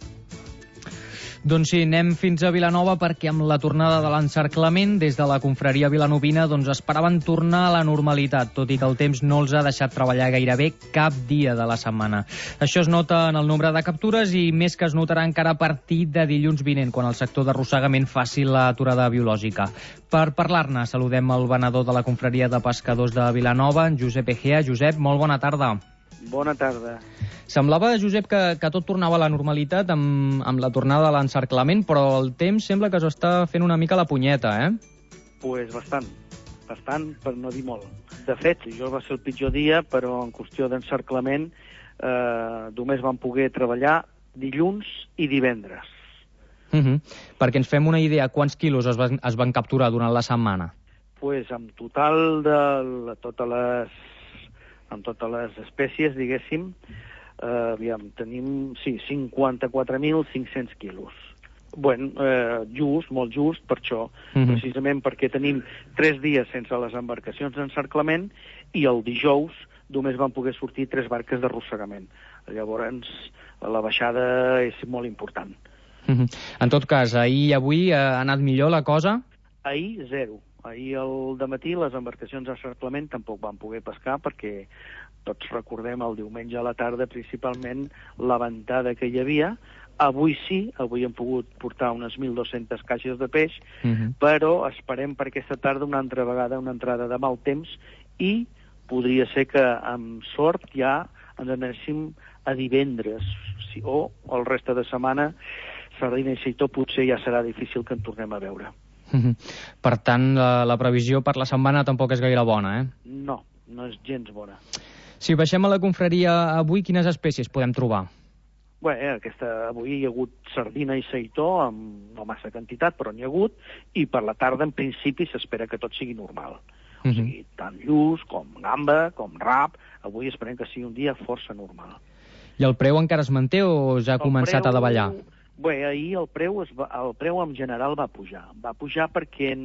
Doncs sí, anem fins a Vilanova perquè amb la tornada de l'encerclament des de la confraria vilanovina esperaven tornar a la normalitat, tot i que el temps no els ha deixat treballar gairebé cap dia de la setmana. Això es nota en el nombre de captures i més que es notarà encara a partir de dilluns vinent, quan el sector d'arrossegament faci l'aturada biològica. Per parlar-ne, saludem el venedor de la confraria de pescadors de Vilanova, en Josep Egea. Josep, molt bona tarda. Bona tarda. Semblava, Josep, que tot tornava a la normalitat amb la tornada de l'encerclament, però el temps sembla que s'està fent una mica la punyeta, eh? Pues bastant, per no dir molt. De fet, jo va ser el pitjor dia, però en qüestió d'encerclament només vam poder treballar dilluns i divendres. Perquè ens fem una idea, quants quilos es van capturar durant la setmana? Pues en total de totes les espècies, diguéssim, tenim 54.500 quilos. Molt just per això, precisament perquè tenim 3 dies sense les embarcacions d'encerclament i el dijous només van poder sortir 3 barques d'arrossegament. Llavors, la baixada és molt important. En tot cas, ahir i avui ha anat millor la cosa? Ahir, 0. Ahir al dematí les embarcacions d'encerclament tampoc van poder pescar perquè tots recordem el diumenge a la tarda principalment la ventada que hi havia. Avui sí, avui hem pogut portar unes 1.200 caixes de peix, però esperem per aquesta tarda una altra vegada una entrada de mal temps i podria ser que amb sort ja ens anéssim a divendres o el reste de setmana sardina i seitó potser ja serà difícil que en tornem a veure. Per tant, la previsió per la setmana tampoc és gaire bona, eh? No és gens bona. Si baixem a la confraria avui, quines espècies podem trobar? Avui hi ha hagut sardina i seitó, amb no massa quantitat, però n'hi ha hagut, i per la tarda, en principi, s'espera que tot sigui normal. O sigui, tant lluç, com gamba, com rap, avui esperem que sigui un dia força normal. I el preu encara es manté o ja ha començat a davallar? Ahir el preu en general va pujar. Va pujar perquè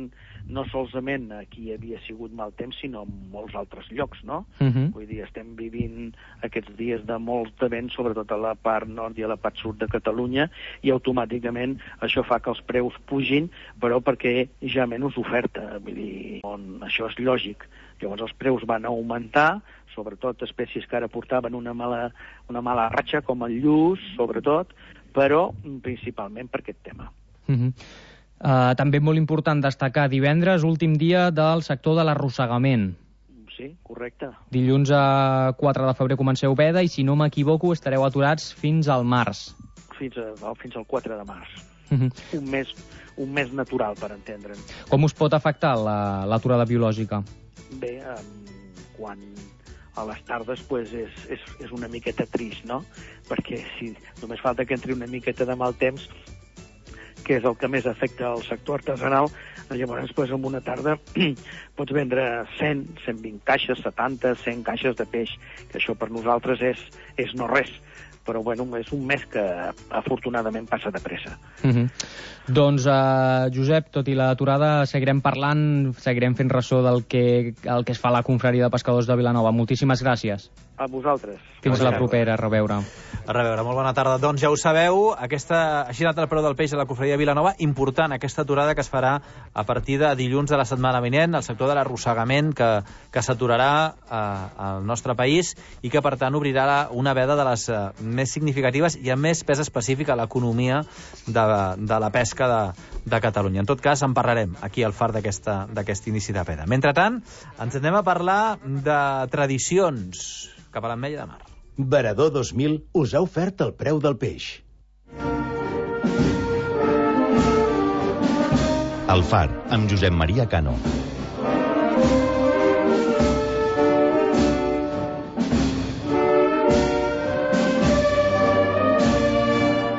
no solament aquí havia sigut mal temps, sinó en molts altres llocs, no? Vull dir, estem vivint aquests dies de molts de vent, sobretot a la part nord i a la part sud de Catalunya, i automàticament això fa que els preus pugin, però perquè hi ha menys oferta. Vull dir, això és lògic. Llavors els preus van augmentar, sobretot espècies que ara portaven una mala ratxa, com el lluç, sobretot, però principalment per aquest tema. També molt important destacar divendres, últim dia del sector de l'arrossegament. Sí, correcte. Dilluns a 4 de febrer comenceu veda i, si no m'equivoco, estareu aturats fins al març. Fins al 4 de març. Un mes natural, per entendre'n. Com us pot afectar l'aturada biològica? Bé, quan a les tardes és una miqueta trist, no? Perquè si només falta que entri una miqueta de mal temps, que és el que més afecta al sector artesanal, llavors en una tarda pots vendre 100, 120 caixes, 70, 100 caixes de peix, que això per nosaltres és no res. Però és un mes que afortunadament passa de pressa. Doncs, Josep, tot i l'aturada, seguirem parlant, seguirem fent ressò del que es fa a la confraria de pescadors de Vilanova. Moltíssimes gràcies. A vosaltres. Fins la propera, a reveure. A reveure, molt bona tarda. Doncs ja ho sabeu, així ha anat el preu del peix a la confraria de Vilanova. Important aquesta aturada que es farà a partir de dilluns de la setmana vinent, el sector de l'arrossegament que s'aturarà al nostre país i que, per tant, obrirà una veda de les més significatives i amb més pes específic a l'economia de la pesca de Catalunya. En tot cas, en parlarem aquí al far d'aquest inici de veda. Mentrestant, ens anem a parlar de tradicions cap a l'Ametlla de Mar. Varador 2000 us ha ofert el preu del peix. El Far, amb Josep Maria Cano.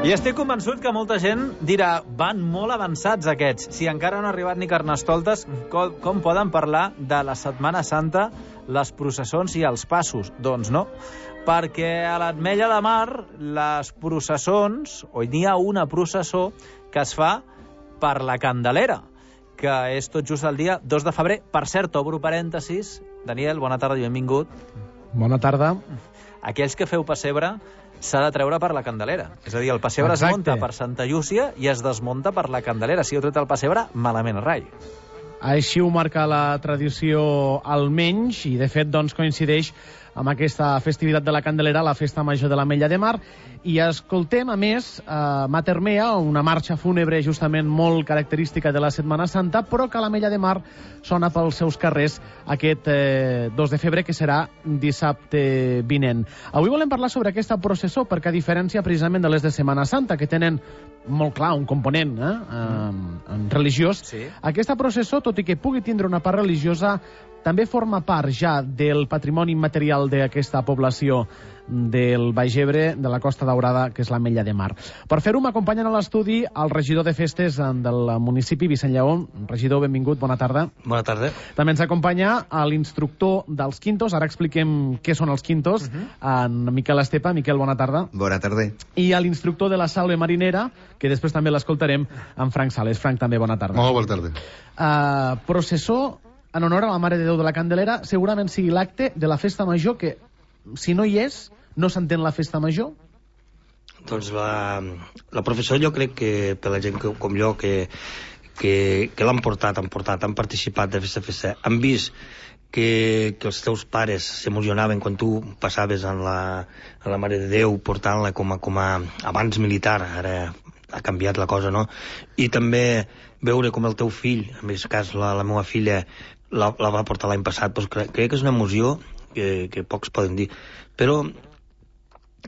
I estic convençut que molta gent dirà van molt avançats aquests. Si encara no ha arribat ni Carnestoltes, com poden parlar de la Setmana Santa, les processons i els passos? Doncs no, perquè a l'Ametlla de Mar les processons, o n'hi ha una processó que es fa per la Candelera, que és tot just el dia 2 de febrer. Per cert, obro parèntesis. Daniel, bona tarda i benvingut. Bona tarda. Aquells que feu pessebre s'ha de treure per la Candelera. És a dir, el pessebre es munta per Santa Llúcia i es desmunta per la Candelera. Si heu tret el pessebre, malament rai. Així ho marca la tradició almenys, i de fet doncs coincideix amb aquesta festivitat de la Candelera, la festa major de l'Ametlla de Mar. I escoltem, a més, Mater Mea, una marxa fúnebre justament molt característica de la Setmana Santa, però que a l'Ametlla de Mar sona pels seus carrers aquest 2 de febrer, que serà dissabte vinent. Avui volem parlar sobre aquesta processó, perquè a diferència precisament de les de Setmana Santa, que tenen molt clar un component religiós, sí. Aquesta processó, tot i que pugui tindre una part religiosa, també forma part ja del patrimoni immaterial d'aquesta població del Baix Ebre, de la Costa Daurada, que és l'Ametlla de Mar. Per fer-ho m'acompanyen a l'estudi el regidor de festes del municipi, Vicent Lleó. Regidor, benvingut, bona tarda. Bona tarda. També ens acompanya l'instructor dels quintos, ara expliquem què són els quintos, en Miquel Estepa. Miquel, bona tarda. Bona tarda. I l'instructor de la Salve Marinera, que després també l'escoltarem, en Frank Sales. Frank, també bona tarda. Molt bona tarda. Processó en honor a la Mare de Déu de la Candelera, segurament sigui l'acte de la festa major que, si no hi és, no s'entén la festa major? Doncs la professó, jo crec que per la gent com jo que l'han portat, han participat de festa, han vist que els teus pares s'emocionaven quan tu passaves a la Mare de Déu portant-la com a abans militar, ara ha canviat la cosa, no? I també veure com el teu fill, en aquest cas la meva filla, la va portar l'any passat, doncs crec que és una emoció que pocs poden dir, però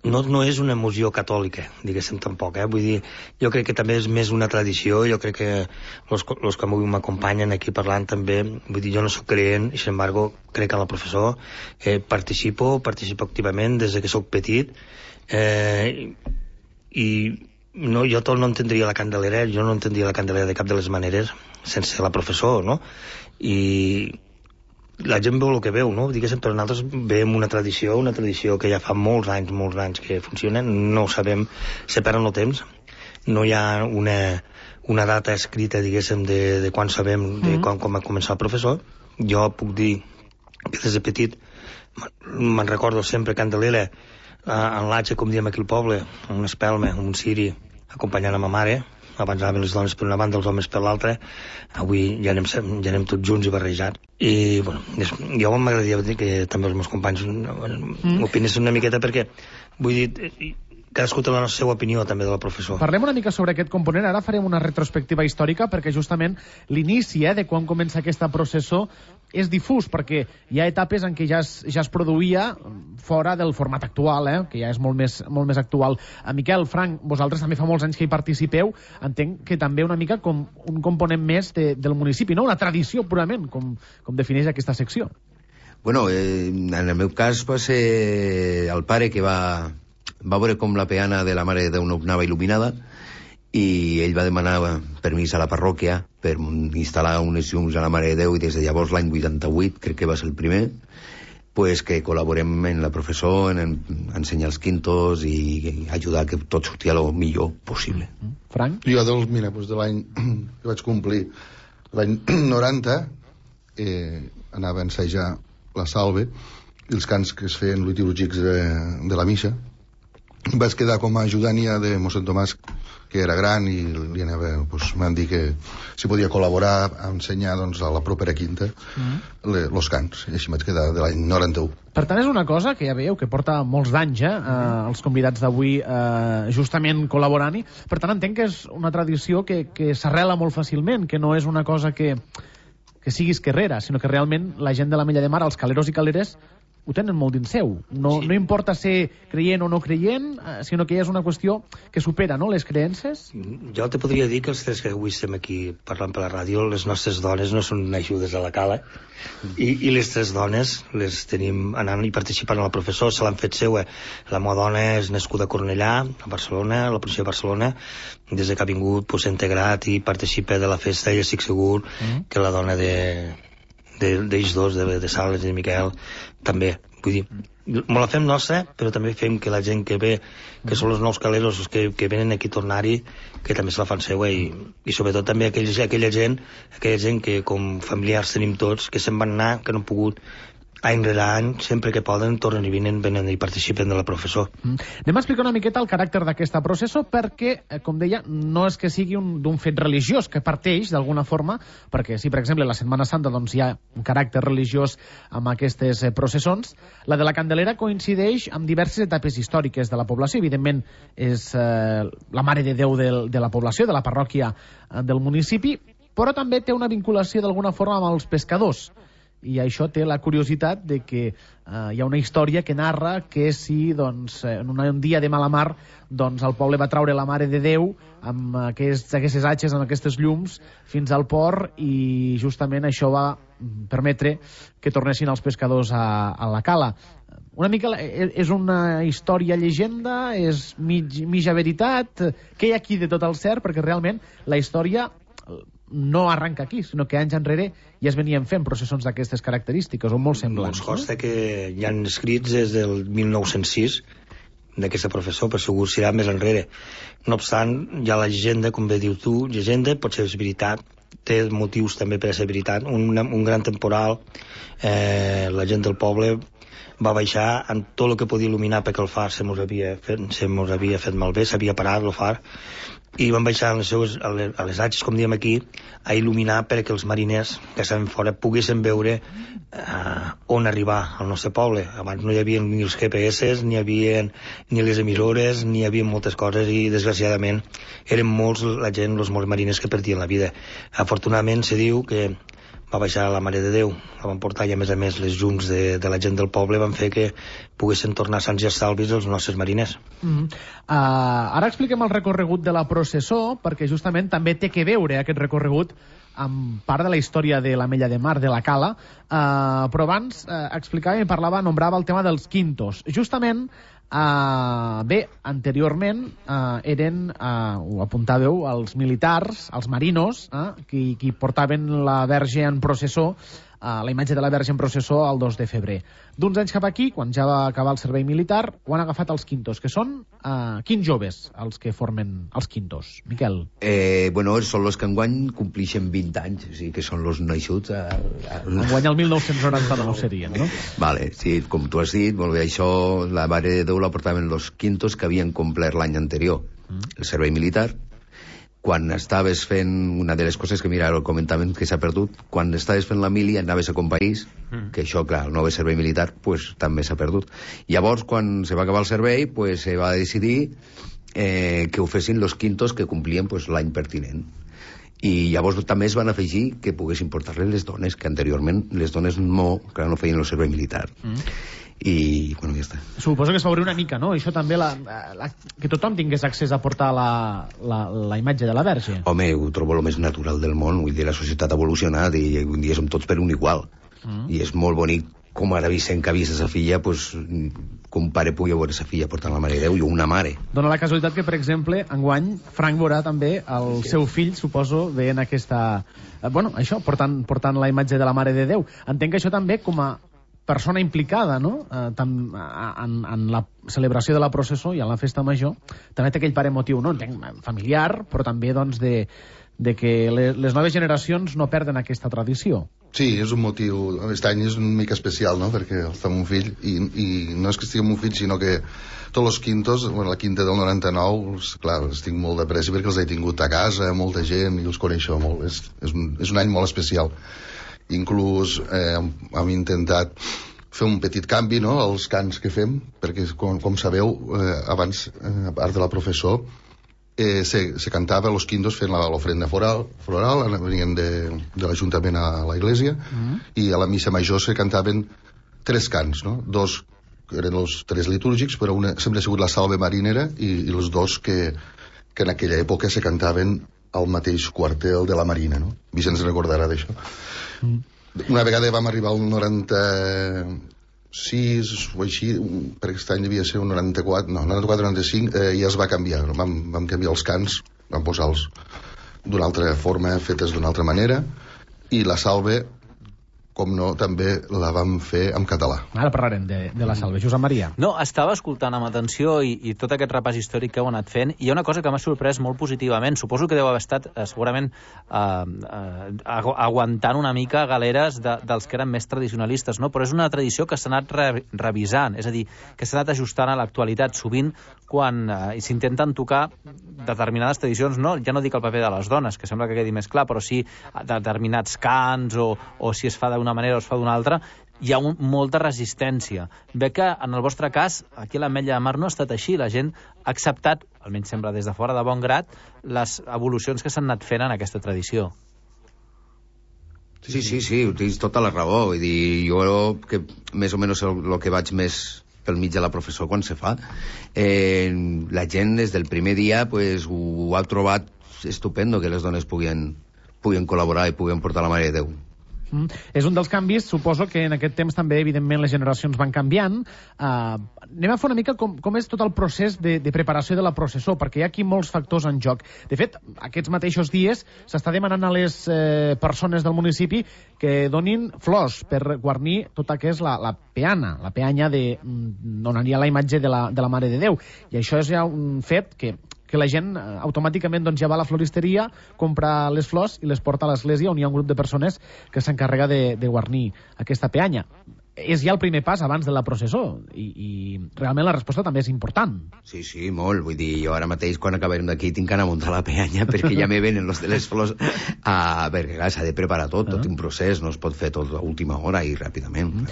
no és una emoció catòlica, diguéssim, tampoc, vull dir, jo crec que també és més una tradició. Jo crec que els que m'acompanyen aquí parlant també, vull dir, jo no soc creient i, sin embargo, crec que a la professó participo activament des que soc petit, i no, jo tot no entendria la Candelera, jo no entendria la Candelera de cap de les maneres sense la professó, no? I la gent veu el que veu, no? Diguéssim, però nosaltres veiem una tradició que ja fa molts anys que funciona, no ho sabem, se perd el temps, no hi ha una data escrita, diguéssim, de quan sabem, de quan va començar el professor. Jo puc dir que des de petit me'n recordo sempre Candelera en l'atge, com diem aquí al poble, una espelma, un ciri, acompanyant a ma mare. Abans anaven les dones per una banda, els homes per l'altra. Avui ja anem tots junts i barrejats. I, bueno, jo m'agradaria dir que també els meus companys opinessin una miqueta, perquè, vull dir, cadascú té la seva opinió també de la professor. Parlem una mica sobre aquest component. Ara farem una retrospectiva històrica, perquè justament l'inici de quan comença aquesta processó és difús, perquè hi ha etapes en què ja es produïa fora del format actual, que ja és molt més actual. Miquel, Frank, vosaltres també fa molts anys que hi participeu, entenc que també una mica com un component més del municipi, no? Una tradició purament, com defineix aquesta secció. Bueno, en el meu cas va ser el pare que va veure com la peana de la Mare de Déu no anava il·luminada, i ell va demanar permís a la parròquia per instal·lar unes llums a la Mare de Déu, i des de llavors, l'any 88, crec que va ser el primer, pues que col·laborem en la professó, en ensenyar els quintos i ajudar que tot sortia el millor possible. Frank? Jo de l'any que vaig complir, l'any 90, anava a ensejar la salve i els cants que es feien litúrgics de la missa. Vaig quedar com a ajudant-hi de mossèn Tomàs, que era gran, i li anava, m'han dit que si podia col·laborar a ensenyar a la propera quinta els cants, i així vaig quedar de l'any 91. Per tant, és una cosa que ja veieu que porta molts d'anys, els convidats d'avui justament col·laborant-hi. Per tant, entenc que és una tradició que s'arrela molt fàcilment, que no és una cosa que sigui esquerrera, sinó que realment la gent de l'Ametlla de Mar, els caleros i caleres, ho tenen molt dins seu. No importa ser creient o no creient, sinó que ja és una qüestió que supera, no?, les creences. Jo te podria dir que els tres que avui estem aquí parlant per la ràdio, les nostres dones no són ajudes a la cala, i les tres dones les tenim anant i participant a la professor, se l'han fet seva. La meva dona és nascuda a Cornellà, a Barcelona, a la província de Barcelona. Des que ha vingut s'ha integrat i participa de la festa, i estic segur que la dona d'ells dos, de Sales i de Miquel, també. Vull dir, me la fem nostra, però també fem que la gent que ve, que són els nous caleros, els que venen aquí a tornar-hi, que també se la fan seua, i sobretot també aquella gent que com familiars tenim tots, que se'n van anar, que no han pogut, any rere any, sempre que poden, tornen i venen i participen de la professor. Anem a explicar una miqueta el caràcter d'aquesta processó, perquè, com deia, no és que sigui d'un fet religiós, que parteix d'alguna forma, perquè si, per exemple, la Setmana Santa doncs, hi ha un caràcter religiós amb aquestes processons, la de la Candelera coincideix amb diverses etapes històriques de la població. Evidentment, és la Mare de Déu de la població, de la parròquia del municipi, però també té una vinculació d'alguna forma amb els pescadors. I això té la curiositat de que hi ha una història que narra que si en un dia de mala mar el poble va traure la Mare de Déu amb aquestes atxes, amb aquestes llums fins al port, i justament això va permetre que tornessin els pescadors a la cala. Una mica és una història llegenda, és mitja veritat. Què hi ha aquí de tot el cert? Perquè realment la història no arranca aquí, sinó que anys enrere ja es venien fent processons d'aquestes característiques, o molt semblants. Ens consta que hi ha escrits des del 1906 d'aquesta professor, però segur serà més enrere. No obstant, hi ha la llegenda, com bé dius tu, llegenda pot ser veritat, té motius també per a ser veritat. Un gran temporal, la gent del poble va baixar amb tot el que podia il·luminar, perquè el far se mos havia fet malbé, s'havia parat el far, i van baixar a les atxes, com diem aquí, a il·luminar perquè els mariners que estaven fora poguessin veure on arribar al nostre poble. Abans no hi havia ni els GPS, ni hi havia ni les emissores, ni hi havia moltes coses, i desgraciadament eren molts la gent, els molts mariners que perdien la vida. Afortunadament se diu que va baixar la Mare de Déu, la van portar, i a més les llums de la gent del poble van fer que poguessin tornar sants i estalvis els nostres mariners. Ara expliquem el recorregut de la processó, perquè justament també té que veure aquest recorregut amb part de la història de l'Ametlla de Mar, de la cala, però abans explicava i parlava, nombrava el tema dels quintos. Justament, anteriorment eren, ho apuntàveu, els militars, els marinos, qui portaven la Verge en processó, la imatge de la Verge en processó el 2 de febrer. D'uns anys cap aquí, quan ja va acabar el servei militar, ho han agafat els quintos, que són quins joves els que formen els quintos? Miquel? Són els que enguany complixen 20 anys, o sigui que són els naixuts. Enguany el 1999 serien, no? Vale, sí, com tu has dit, molt bé, això, la Mare de Déu la portaven els quintos que havien complert l'any anterior, el servei militar. Quan estaves fent, una de les coses que, mira, el comentament que s'ha perdut, quan estaves fent la mili anaves a companys, que això, clar, el nou servei militar, pues, també s'ha perdut. Llavors, quan se va acabar el servei, pues, se va decidir que ho fessin els quintos que complien pues, l'any pertinent. I llavors també es van afegir que poguessin portar-les les dones, que anteriorment les dones no feien el servei militar. I, bueno, ja està. Suposo que es va obrir una mica, no? Això també, que tothom tingués accés a portar la imatge de la Verge. Home, ho trobo el més natural del món. Vull dir, la societat ha evolucionat i un dia som tots per un igual. I és molt bonic, com ara Vicent que ha vist sa filla, pues, que un pare pugui veure sa filla portant la Mare de Déu, i una mare. Dóna la casualitat que, per exemple, enguany, Frank veurà també el seu fill, suposo, veient aquesta... això, portant la imatge de la Mare de Déu. Entenc que això també, com a persona implicada, no?, en la celebració de la processó i en la festa major, també té aquell pare motiu, no?, entenc, familiar, però també, doncs, de que les noves generacions no perden aquesta tradició. Sí, és un motiu... Aquest any és una mica especial, no?, perquè està amb un fill, i no és que estigui amb un fill, sinó que tots els quintos, la quinta del 99, clar, els tinc molt de pressa perquè els he tingut a casa, molta gent, i els coneixo molt. És un any molt especial. Inclús hem intentat fer un petit canvi, no?, als cants que fem, perquè, com sabeu, abans, a part de la professor, se cantava los quintos fent l'ofrenda floral, venien de l'Ajuntament a la Iglesia, i a la missa major se cantaven 3 cants, no? 2 que eren els 3 litúrgics, però una sempre ha sigut la salve marinera i els 2 que en aquella època se cantaven al mateix quartel de la Marina, no? Vicenç recordarà d'això. Una vegada vam arribar al 96 o així, per aquest any devia ser un 94-95, i es va canviar. Vam canviar els cants, vam posar-los d'una altra forma, fetes d'una altra manera, i la salve, com no, també la vam fer en català. Ara parlarem de la salve. Josep Maria. No, estava escoltant amb atenció i tot aquest repàs històric que heu anat fent, i hi ha una cosa que m'ha sorprès molt positivament. Suposo que deu haver estat, segurament, aguantant una mica galeres dels que eren més tradicionalistes, no? Però és una tradició que s'ha anat revisant, és a dir, que s'ha anat ajustant a l'actualitat. Sovint, quan s'intenten tocar determinades tradicions, no? Ja no dic el paper de les dones, que sembla que quedi més clar, però sí determinats cants o si es fa d'una manera o es fa d'una altra, hi ha molta resistència. Ve que, en el vostre cas, aquí a l'Ametlla de Mar no ha estat així. La gent ha acceptat, almenys sembla des de fora de bon grat, les evolucions que s'han anat fent en aquesta tradició. Sí, tens tota la raó. Vull dir, jo que més o menys el que vaig més pel mig de la professor quan se fa, la gent des del primer dia pues, ho ha trobat estupendo que les dones puguen col·laborar i puguen portar la Mare de Déu. És un dels canvis, suposo que en aquest temps també, evidentment, les generacions van canviant. Anem a fer una mica com és tot el procés de preparació de la processó, perquè hi ha aquí molts factors en joc. De fet, aquests mateixos dies s'està demanant a les persones del municipi que donin flors per guarnir tota que és la peana, la peanya on aniria la imatge de la Mare de Déu. I això és ja un fet que la gent automàticament ja va a la floristeria, compra les flors i les porta a l'església, on hi ha un grup de persones que s'encarrega de guarnir aquesta peanya. És ja el primer pas abans de la processó i realment la resposta també és important. Sí, molt. Vull dir, jo ara mateix quan acabarem d'aquí tinc que anar a muntar la peanya perquè ja me venen los de les flors perquè clar, s'ha de preparar tot un procés, no es pot fer tot a última hora i ràpidament.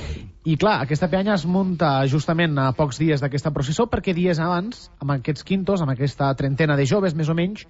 I clar, aquesta peanya es munta justament a pocs dies d'aquesta processó perquè dies abans, amb aquests quintos, amb aquesta trentena de joves més o menys,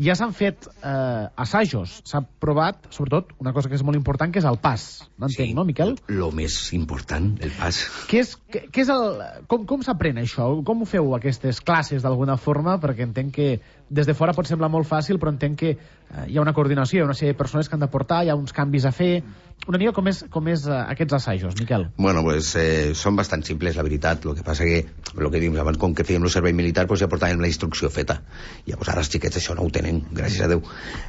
ja s'han fet assajos. S'ha provat, sobretot, una cosa que és molt important, que és el pas. M'entenc, no, Miquel? Lo més important, el pas. Com s'aprèn això? Com ho feu, aquestes classes, d'alguna forma? Perquè entenc que des de fora pot semblar molt fàcil, però entenc que hi ha una coordinació, hi ha una sèrie de persones que han de portar, hi ha uns canvis a fer. Una mica com és aquests assajos, Miquel? Bueno, pues són bastant simples, la veritat. El que passa que, el que diem abans, com que fèiem el servei militar, pues ja portàvem la instrucció feta. Llavors ara els xiquets això no ho tenen, gràcies a Déu,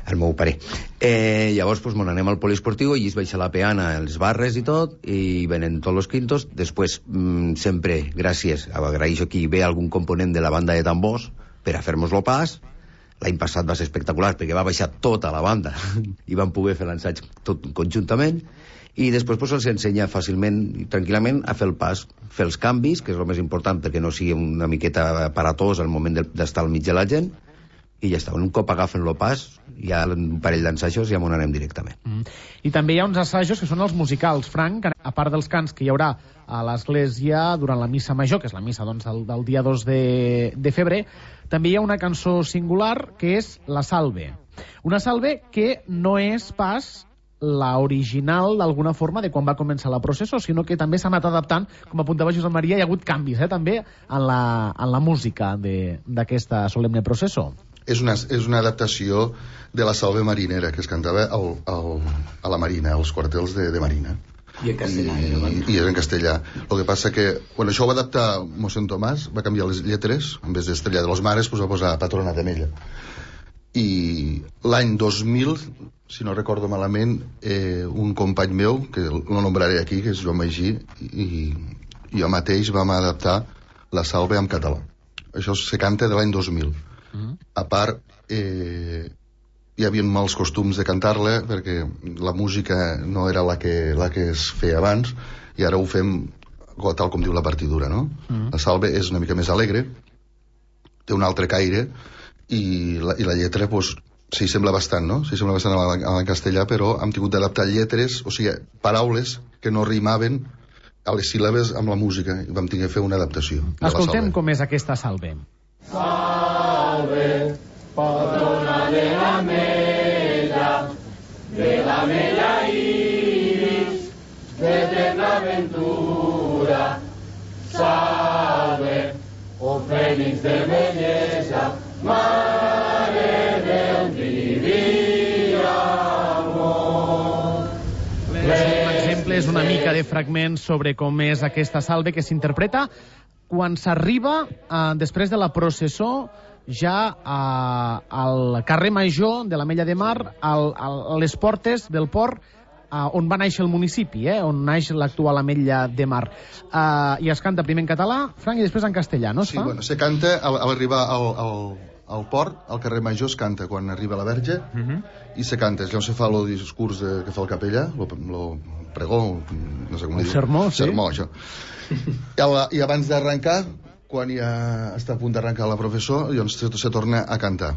al meu pare. Llavors, pues, anem al poliesportiu, i es baixa la peana, els barres i tot, i venen tots els quintos. Després, sempre, gràcies, agraeixo aquí, ve algun component de la banda de tambors per a fer-nos-lo pas. L'any passat va ser espectacular perquè va baixar tota la banda i van poder fer l'ensaig tot conjuntament, i després pues, els ensenya fàcilment i tranquil·lament a fer el pas, fer els canvis, que és el més important perquè no sigui una miqueta aparatós al moment d'estar al mig de la gent, i ja està. Un cop agafen el pas, hi ha un parell d'ensajos i ja m'ho anem directament. I també hi ha uns assajos que són els musicals, Frank, a part dels cants que hi haurà a l'església durant la missa major, que és la missa del dia 2 de febrer, també hi ha una cançó singular que és la Salve. Una Salve que no és pas la original, d'alguna forma, de quan va començar la processó, sinó que també s'ha anat adaptant, com apuntava Josep Maria, hi ha hagut canvis, també, en la música d'aquesta solemne processó. És una adaptació de la Salve Marinera, que es cantava a la Marina, als quartels de Marina. I en castellà. I és en castellà. El que passa que, quan això ho va adaptar mossèn Tomàs, va canviar les lletres, en vez d'Estrella de los Mares, pues va posar Patrona de Mella. I l'any 2000, si no recordo malament, un company meu, que lo nombraré aquí, que és Joan Magí, i jo mateix vam adaptar la Salve en català. Això se canta de l'any 2000. A part, hi havia mals costums de cantar-la perquè la música no era la que es feia abans, i ara ho fem tal com diu la partitura, no? La Salve és una mica més alegre, té un altre caire, i la lletra, pues, s'hi sembla bastant, no? S'hi sembla bastant a la castellà, però hem tingut d'adaptar lletres, o sigui, paraules que no rimaven a les síl·labes amb la música, i vam tenir que fer una adaptació. Escoltem com és aquesta Salve. Salve, patrona de la Mella iris, de eterna ventura, salve, oh Félix de belleza, mare del divin amor. L'exemple és una mica de fragments sobre com és aquesta salve que s'interpreta quan s'arriba, després de la processó, ja al carrer Major de l'Ametlla de Mar, a les portes del port, on va néixer el municipi, on naix l'actual Ametlla de Mar. I es canta primer en català, Frank, i després en castellà, no es fa? Sí, bueno, se canta a l'arribar al port, al carrer Major es canta quan arriba la Verge, i se canta, és on se fa el discurs que fa el capellà, el pregó, no sé com el sermó, sí. Sermó, això. I abans d'arrencar, quan ja està a punt d'arrencar la professor, llavors se torna a cantar.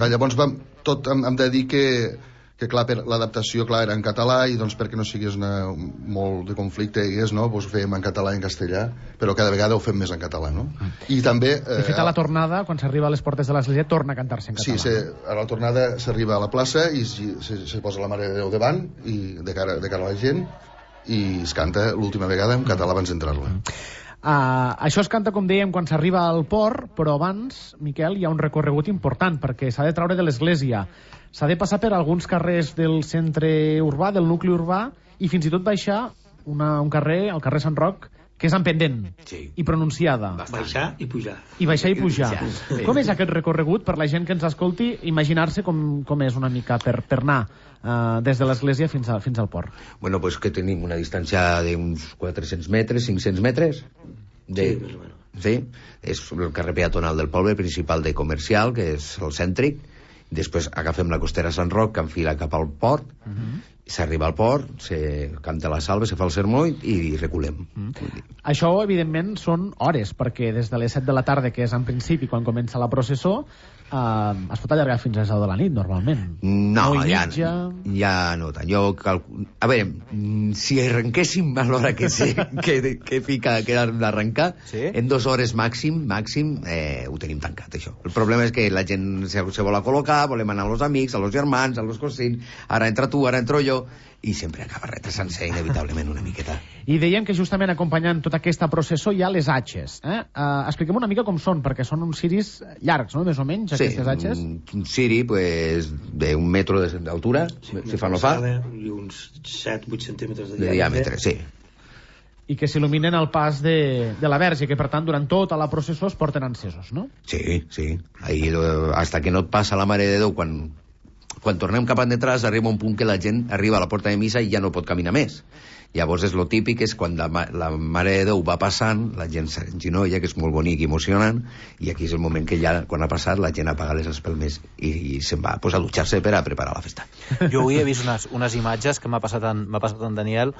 Llavors hem de dir que clar, l'adaptació era en català, i doncs perquè no sigués molt de conflicte, no? Ho fèiem en català i en castellà, però cada vegada ho fem més en català, no? I també... De fet, a la tornada, quan s'arriba a les portes de l'església, torna a cantar-se en català. Sí, a la tornada s'arriba a la plaça i se posa la Mare de Déu davant, i de cara a la gent, i es canta l'última vegada en català abans d'entrar-la. Això es canta, com dèiem, quan s'arriba al port, però abans, Miquel, hi ha un recorregut important, perquè s'ha de treure de l'església, s'ha de passar per alguns carrers del centre urbà, del nucli urbà, i fins i tot baixar un carrer, el carrer Sant Roc, que és en pendent i pronunciada. Baixar i pujar. I baixar i pujar. Com és aquest recorregut per la gent que ens escolti, imaginar-se com és una mica per anar des de l'església fins al port? Bueno, pues que tenim una distància d'uns 400 metres, 500 metres. Sí, és el carrer peatonal del poble, principal de comercial, que és el cèntric. Després agafem la costera Sant Roc, que enfila cap al port, s'arriba al port, se canta la salve, se fa el sermó i reculem. Això, evidentment, són hores, perquè des de les 7 de la tarda, que és en principi quan comença la processó, es pot allargar fins a les 10 de la nit, normalment. No, ja no tant. A veure, si arrenquéssim a l'hora que fica d'arrencar, en 2 hores màxim, ho tenim tancat, això. El problema és que la gent se vol a col·locar, volem anar als amics, als germans, als cosins, ara entra tu, ara entro jo, i sempre acaba retrasant-se inevitablement una miqueta. I dèiem que justament acompanyant tota aquesta processó hi ha les atxes. Expliquem una mica com són, perquè són uns ciris llargs, no?, més o menys, aquestes atxes. Sí, un ciri d'un metro d'altura, si fa no fa. I uns 7-8 centímetres de diàmetre, sí. I que s'il·luminen al pas de la Verge, que per tant durant tota la processó es porten encesos, no? Sí. Ahí, hasta que no et passa la Mare de Déu, quan tornem cap endreçats arriba un punt que la gent arriba a la porta de missa i ja no pot caminar més. Llavors és lo típic, és quan la Mare de Déu va passant, la gent s'enginolla, que és molt bonic i emocionant, i aquí és el moment que ja, quan ha passat, la gent apaga les espelmes i se'n va a dutxar-se per a preparar la festa. Jo avui he vist unes imatges que m'ha passat en Daniel.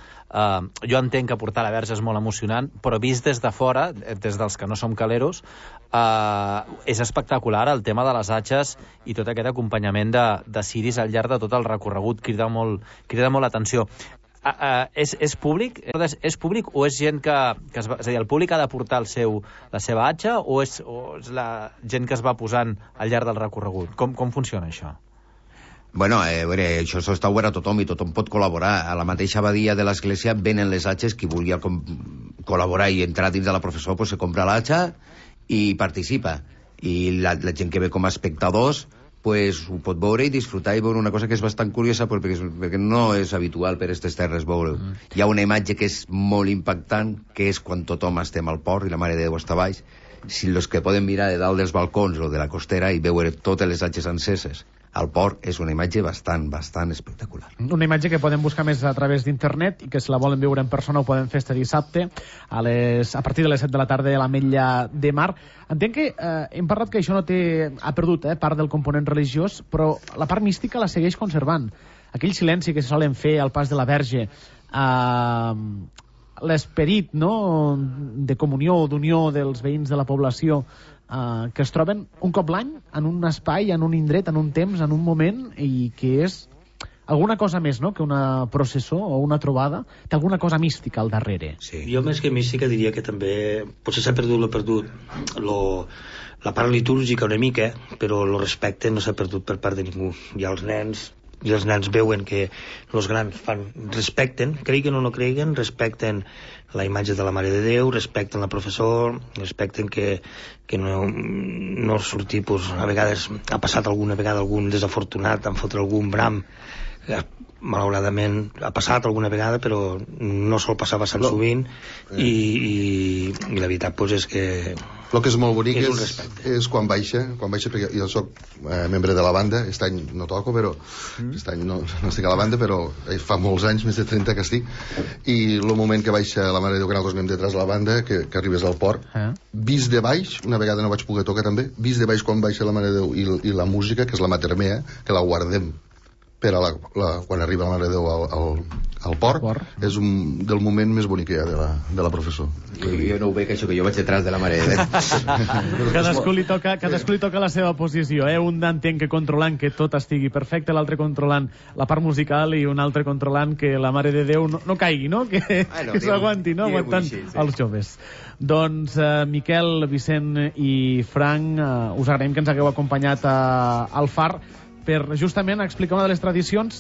Jo entenc que portar la Verge és molt emocionant, però vist des de fora, des dels que no som caleros, és espectacular el tema de les atxes i tot aquest acompanyament de ciris al llarg de tot el recorregut. Crida molt l'atenció. És públic? És públic o és gent que és a dir, el públic ha de portar la seva atxa o és la gent que es va posant al llarg del recorregut? Com funciona això? Bueno, això està obert a tothom i tothom pot col·laborar. A la mateixa abadia de l'església venen les atxes, qui vulgui col·laborar i entrar dins de la processó se compra l'atxa i participa. I la gent que ve com a espectadors pues ho pot veure i disfrutar i veure una cosa que és bastant curiosa perquè no és habitual per aquestes terres veure. Hi ha una imatge que és molt impactant, que és quan tothom estem al port i la Mare de Déu està baix. Si els que poden mirar de dalt dels balcons o de la costera i veure totes les atxes enceses al port és una imatge bastant espectacular. Una imatge que poden buscar més a través d'internet i que si la volen veure en persona ho poden fer este dissabte a partir de les 7 de la tarda a l'Ametlla de Mar. Entenc que hem parlat que això no ha perdut part del component religiós, però la part mística la segueix conservant. Aquell silenci que se solen fer al pas de la Verge, l'esperit, no?, de comunió o d'unió dels veïns de la població que es troben un cop l'any en un espai, en un indret, en un temps, en un moment, i que és alguna cosa més, no?, que una processó o una trobada, té alguna cosa mística al darrere. Sí. Jo més que mística diria que també potser s'ha perdut la part litúrgica una mica, però el respecte no s'ha perdut per part de ningú. Ja els nens i els nens veuen que els grans respecten, creguin o no creguin, respecten la imatge de la Mare de Déu, respecten la professor, respecten que no sortir, a vegades ha passat alguna vegada algun desafortunat, han fotut algun bram, malauradament ha passat alguna vegada, però no sol passar bastant sovint, i la veritat és que el que és molt bonic és un respecte. És quan baixa, perquè jo soc membre de la banda, aquest any no toco, però aquest any no estic a la banda, però fa molts anys, més de 30 que estic, i el moment que baixa la Mare de Déu, que nosaltres anem detrás de la banda, que arribes al port, vist de baix, una vegada no vaig poder tocar també, vist de baix quan baixa la Mare de Déu i la música, que és la Mater Mea, que la guardem per a quan arriba la Mare de Déu al port, és del moment més bonic que hi ha de la professor. Jo no ho veig, això, que jo vaig detrás de la Mare de Déu. Cadascú li toca la seva posició, un entenc que controlant que tot estigui perfecte, l'altre controlant la part musical i un altre controlant que la Mare de Déu no caigui, no? Que s'aguanti, no? Aguantant els joves. Doncs Miquel, Vicent i Frank, us agraïm que ens hagueu acompanyat al Far per justament explicar una de les tradicions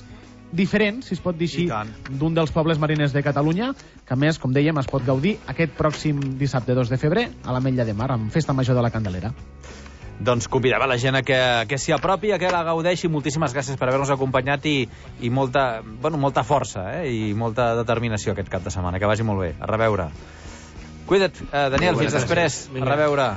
diferents, si es pot dir així, d'un dels pobles mariners de Catalunya, que a més, com dèiem, es pot gaudir aquest pròxim dissabte 2 de febrer a l'Ametlla de Mar, amb Festa Major de la Candelera. Doncs convidem a la gent que s'hi apropi, que la gaudeixi. Moltíssimes gràcies per haver-nos acompanyat i molta força i molta determinació aquest cap de setmana. Que vagi molt bé. A reveure. Cuida't, Daniel, fins després. A reveure.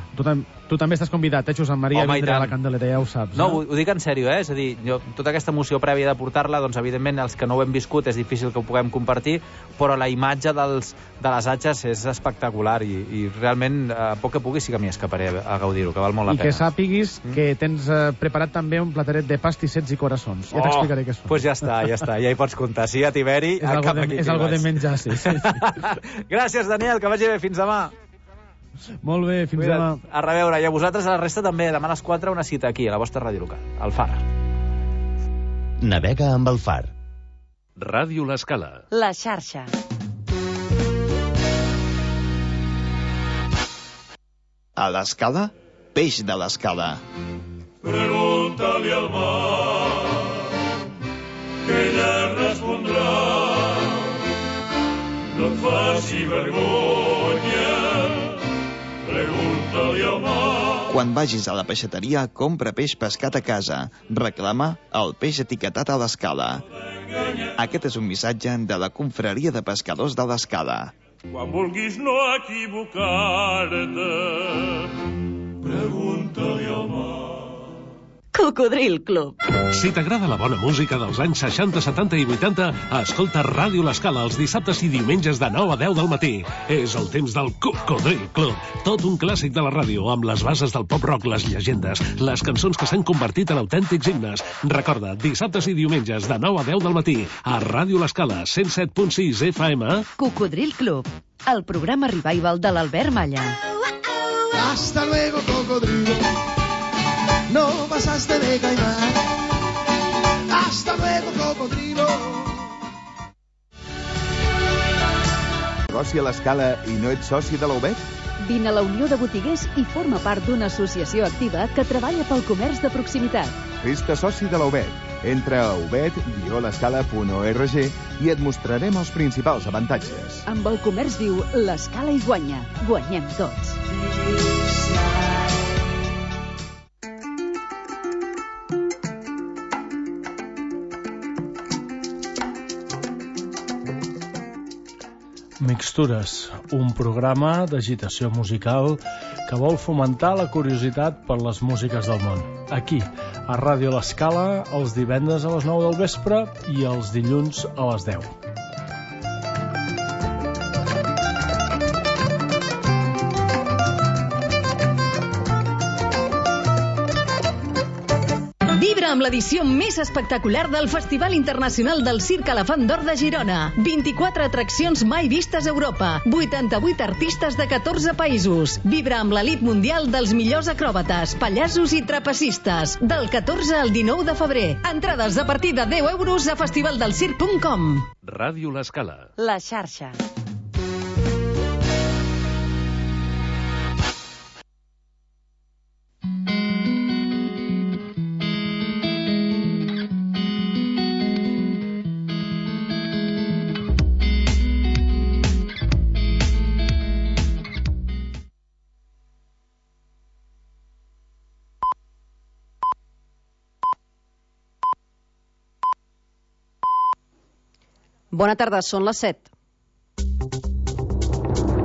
Tu també estàs convidat, Josep Maria, a vindre a la Candelera, ja ho saps. No, ho dic en sèrio, És a dir, tota aquesta emoció prèvia de portar-la, doncs evidentment els que no ho hem viscut és difícil que ho puguem compartir, però la imatge de les atxes és espectacular i realment, a poc que pugui, sí que m'hi escaparé a gaudir-ho, que val molt la pena. I que sàpiguis que tens preparat també un plateret de pastissets i coraçons. Ja t'explicaré què són. Doncs ja està, ja hi pots comptar. Si hi ha Tiberi, és algo de menjar, sí. Gràcies, Daniel, que vagi bé. Fins demà. Molt bé, fins demà. A reveure, i a vosaltres, a la resta també, demà a les 4 una cita aquí, a la vostra ràdio local, al Far. Navega amb el Far. Ràdio L'Escala. La xarxa. A l'Escala, peix de l'Escala. Pregúntale al mar, que ella respondrà. No et faci vergonya, pregunta-li al mar. Quan vagis a la peixateria, compra peix pescat a casa. Reclama el peix etiquetat a l'Escala. Aquest és un missatge de la Confraria de Pescadors de l'Escala. Quan vulguis no equivocar-te, pregunta-li al mar. Cocodril Club. Si t'agrada la bona música dels anys 60, 70 i 80, escolta Ràdio L'Escala els dissabtes i diumenges de 9 a 10 del matí. És el temps del Cocodril Club. Tot un clàssic de la ràdio, amb les bases del pop-rock, les llegendes, les cançons que s'han convertit en autèntics himnes. Recorda, dissabtes i diumenges de 9 a 10 del matí, a Ràdio L'Escala, 107.6 FM. Cocodril Club, el programa revival de l'Albert Malla. Hasta luego, cocodrilo. No pasaste de caimán. Hasta luego, cocodrilo. Negoci a l'Escala i no ets soci de la UBET? Vine a la Unió de Botiguers i forma part d'una associació activa que treballa pel comerç de proximitat. Fes-te soci de la UBET. Entra a ubet-l'escala.org i et mostrarem els principals avantatges. Amb el comerç viu, l'Escala hi guanya. Guanyem tots. Mixtures, un programa d'agitació musical que vol fomentar la curiositat per les músiques del món. Aquí, a Ràdio L'Escala, els divendres a les 9 del vespre i els dilluns a les 10. Vibra amb l'edició més espectacular del Festival Internacional del Circ Elefant d'Or de Girona. 24 atraccions mai vistes a Europa. 88 artistes de 14 països. Vibra amb l'elit mundial dels millors acròbates, pallassos i trapecistes. Del 14 al 19 de febrer. Entrades a partir de 10 euros a festivaldelcirc.com. Ràdio L'Escala. La xarxa. Bona tarda, són les 7.